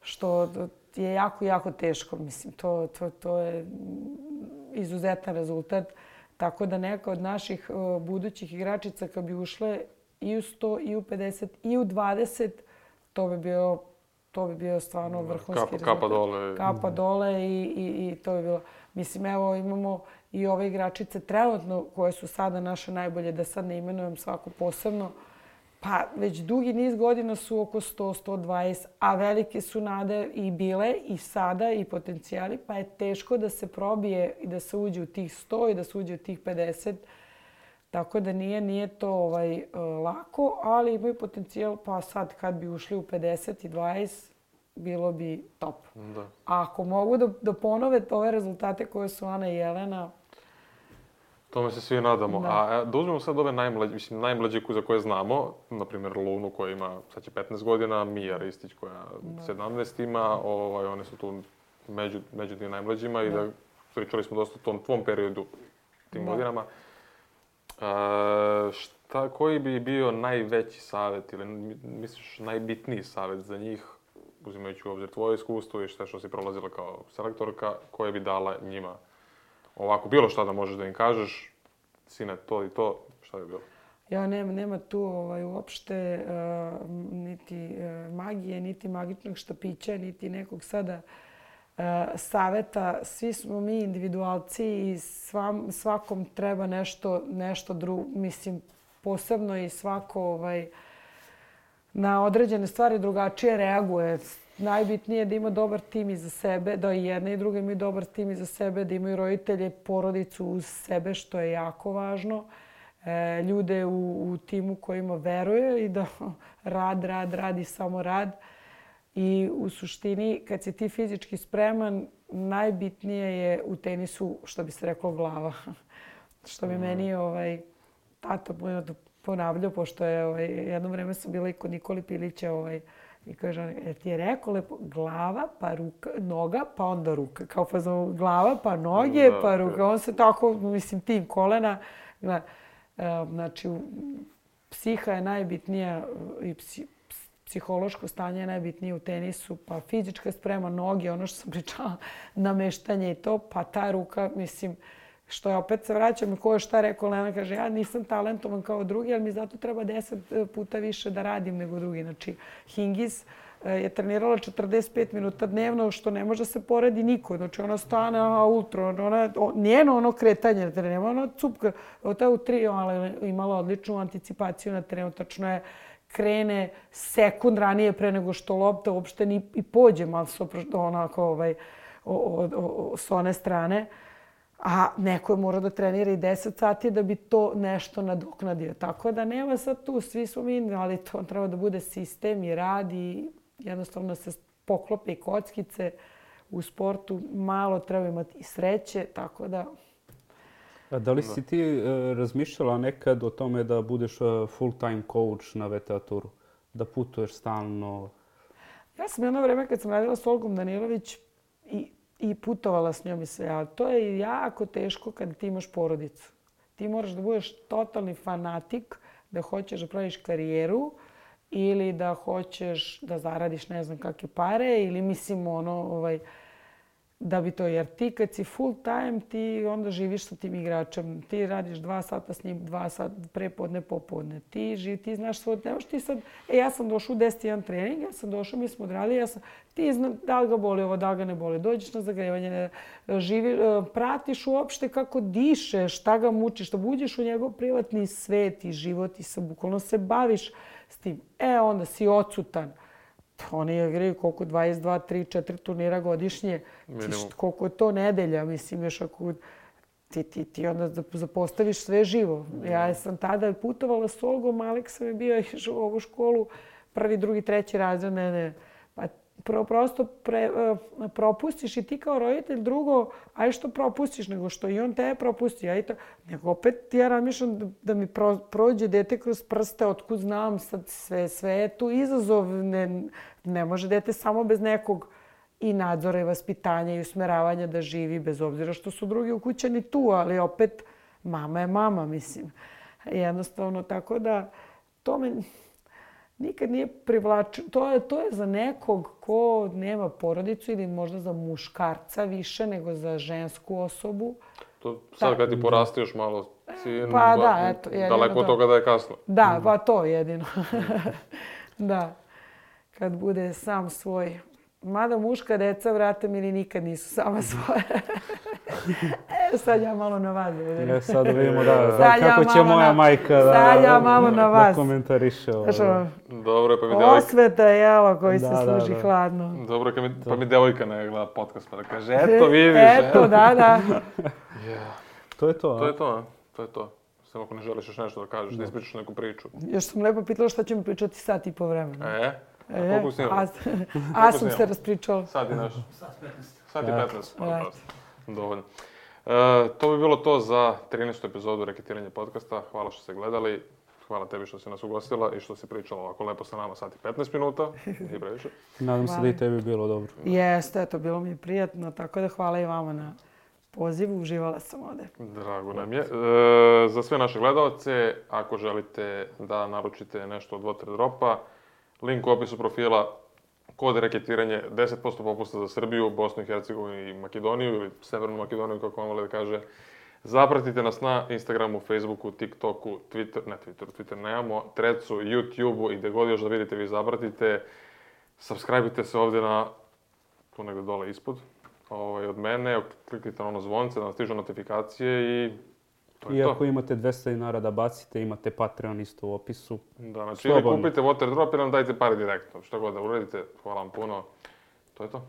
što je jako, jako teško. Mislim, to, to, to je izuzetan rezultat. Tako da neka od naših uh, budućih igračica kad bi ušle i u sto, i u pedeset, i u dvadeset, to bi bio, to bi bio stvarno vrhunski kapa, rezultat. Kapa dole. Kapa dole i, i, i to bi bilo. Mislim, evo imamo i ove igračice trenutno koje su sada naše najbolje, da sad ne imenujem svaku posebno. Pa već dugi niz godina su oko sto, sto dvadeset, a velike su nade i bile i sada i potencijali, pa je teško da se probije i da se uđe u tih sto i da se uđe u tih pedeset. Tako da nije, nije to ovaj, lako, ali imaju potencijal, pa sad kad bi ušli u pedeset i dvadeset, bilo bi top. Da. A ako mogu da, da ponove ove rezultate koje su Ana i Jelena, tome se svi nadamo. Da. A da uzmemo sad ove najmlađe, mislim, najmlađe za koje znamo, na primjer Lunu koja ima, sad će petnaest godina, Mija Ristić koja da. sedamnaest ima, ovaj, one su tu među, među tim najmlađima da. i da pričali smo dosta o tom tvom periodu, tim da. godinama. A, šta, koji bi bio najveći savjet ili misliš najbitniji savjet za njih, uzimajući u obzir tvoje iskustvo i šta što si prolazila kao selektorka, koje bi dala njima? Ovako, bilo šta da možeš da im kažeš, sine, to i to, šta bi bilo? Ja, nema, nema tu ovaj, uopšte uh, niti uh, magije, niti magičnog štapića, niti nekog sada uh, saveta. Svi smo mi individualci i svam, svakom treba nešto, nešto drugo, mislim, posebno i svako ovaj, na određene stvari drugačije reaguje. Najbitnije je da ima dobar tim iza sebe, da i jedna i druga imaju dobar tim iza sebe, da imaju roditelje, porodicu uz sebe, što je jako važno. e, ljude u, u timu kojima veruje i da rad, rad, rad i samo rad. I u suštini, kad si ti fizički spreman, najbitnije je u tenisu, što bi se reklo, glava. Što bi mm. meni ovaj, tata ponavljao, pošto je ovaj, jedno vreme sam bila i kod Nikoli Pilića ovaj, i kaže, je ti je rekao lepo, glava, pa ruka, noga, pa onda ruka. Kao pa znam, glava, pa noge, da, pa ruka. On se tako, mislim, tim kolena. Znači, psiha je najbitnija i psi, psihološko stanje je najbitnije u tenisu, pa fizička sprema, noge, ono što sam pričala, nameštanje i to, pa ta ruka, mislim, što je opet se vraćam i ko je šta rekao, Lena kaže, ja nisam talentovan kao drugi, ali mi zato treba deset puta više da radim nego drugi. Znači, Hingis je trenirala četrdeset pet minuta dnevno, što ne može se poredi niko. Znači, ona stane, ona ultra, ona, njeno ono kretanje na terenu, ona cupka, ta u tri, ali imala odličnu anticipaciju na terenu, tačno je krene sekund ranije pre nego što lopta uopšte ni i pođe malo onako ovaj, o, o, o, s one strane. A neko je morao da trenira i deset sati da bi to nešto nadoknadio. Tako da nema sad tu, svi smo mi, ali to treba da bude sistem i rad i jednostavno se poklope i kockice u sportu. Malo treba imati i sreće, tako da... A da li si ti e, razmišljala nekad o tome da budeš full-time coach na V T A Touru? Da putuješ stalno? Ja sam jedno vreme kad sam radila s Olgom Danilović i i putovala s njom i sve, ali to je jako teško kad ti imaš porodicu. Ti moraš da budeš totalni fanatik, da hoćeš da praviš karijeru ili da hoćeš da zaradiš ne znam kakve pare ili mislim ono, ovaj, da bi to, jer ti kad si full time, ti onda živiš sa tim igračem. Ti radiš dva sata s njim, dva sata prepodne, popodne. Ti živ, ti znaš svoj, nemaš ti sad, e ja sam došao u deset jedan trening, ja sam došao, mi smo odradili, ja sam, ti zna da li ga boli ovo, da li ga ne boli, dođeš na zagrevanje, živi, pratiš uopšte kako diše, šta ga muči, što uđeš u njegov privatni svet i život i sa bukvalno se baviš s tim. E onda si odsutan. Oni igraju koliko, dvadeset dva, tri, četiri turnira godišnje. Ti, koliko je to nedelja, mislim, još ako ti, ti, ti onda zapostaviš sve živo. Ja sam tada putovala s Olgom, Aleksa je bio išao u ovu školu, prvi, drugi, treći razred, ne, ne. Pa pro, prosto pre, uh, propustiš i ti kao roditelj, drugo, aj što propustiš, nego što i on tebe propusti. Ja i to, nego opet ja razmišljam da, da mi pro, prođe dete kroz prste, otkud znam sad sve, sve je tu izazov. Ne, ne može dete samo bez nekog i nadzora i vaspitanja i usmeravanja da živi, bez obzira što su drugi ukućani tu, ali opet mama je mama, mislim. Jednostavno, tako da to me nikad nije privlačilo. To je, to je za nekog ko nema porodicu ili možda za muškarca više nego za žensku osobu. To sad kad ti porasti još malo sin, pa, da, eto, daleko od toga da je kasno. Da, pa to jedino. Da, kad bude sam svoj. Mada muška deca, vrate mi, nikad nisu sama svoje. E, sad ja malo na vas. E, sad vidimo da, da kako ja će moja na, majka da, sad ja malo na vas. Da komentariše ovo. Dobro, pa mi devojka... Osveta je jelo koji da, se služi da, da. hladno. Dobro, pa mi, pa mi devojka ne gleda podcast pa da kaže, eto vidiš. Eto, da, da. Yeah. To je to, a? To je to, a? To je to. Samo ako ne želiš još nešto da kažeš, da, da ispričaš neku priču. Još sam lepo pitala šta će mi pričati sat i po vremena. E? A e, koliko snimamo? A, a sam se raspričala. Sad i naš. Sad i petnaest. Dovoljno. E, to bi bilo to za trinaestu epizodu Reketiranje podcasta. Hvala što ste gledali. Hvala tebi što si nas ugostila i što si pričala ovako lepo sa nama sat i petnaest minuta. Nije previše. Nadam se da i tebi bilo dobro. Jeste, eto, bilo mi je prijatno. Tako da hvala i vama na pozivu. Uživala sam ovde. Drago nam je. E, za sve naše gledalce, ako želite da naručite nešto od Water Dropa, link u opisu profila, kod reketiranje, deset posto popusta za Srbiju, Bosnu i Hercegovinu i Makedoniju, ili Severnu Makedoniju, kako vam vole da kaže. Zapratite nas na Instagramu, Facebooku, TikToku, Twitter, ne Twitteru, Twitter nemamo, Threadsu, YouTubeu i gde god još da vidite, vi zapratite. Subscribe-ite se ovdje na, tu negdje dole ispod, ovaj, od mene, kliknite na ono zvonce da vam stižu notifikacije i to je I to. ako imate dvesta dinara da bacite, imate Patreon isto u opisu. Da, znači ili kupite Water Drop ili nam dajte pare direktno. Što god da uradite, hvala vam puno. To je to.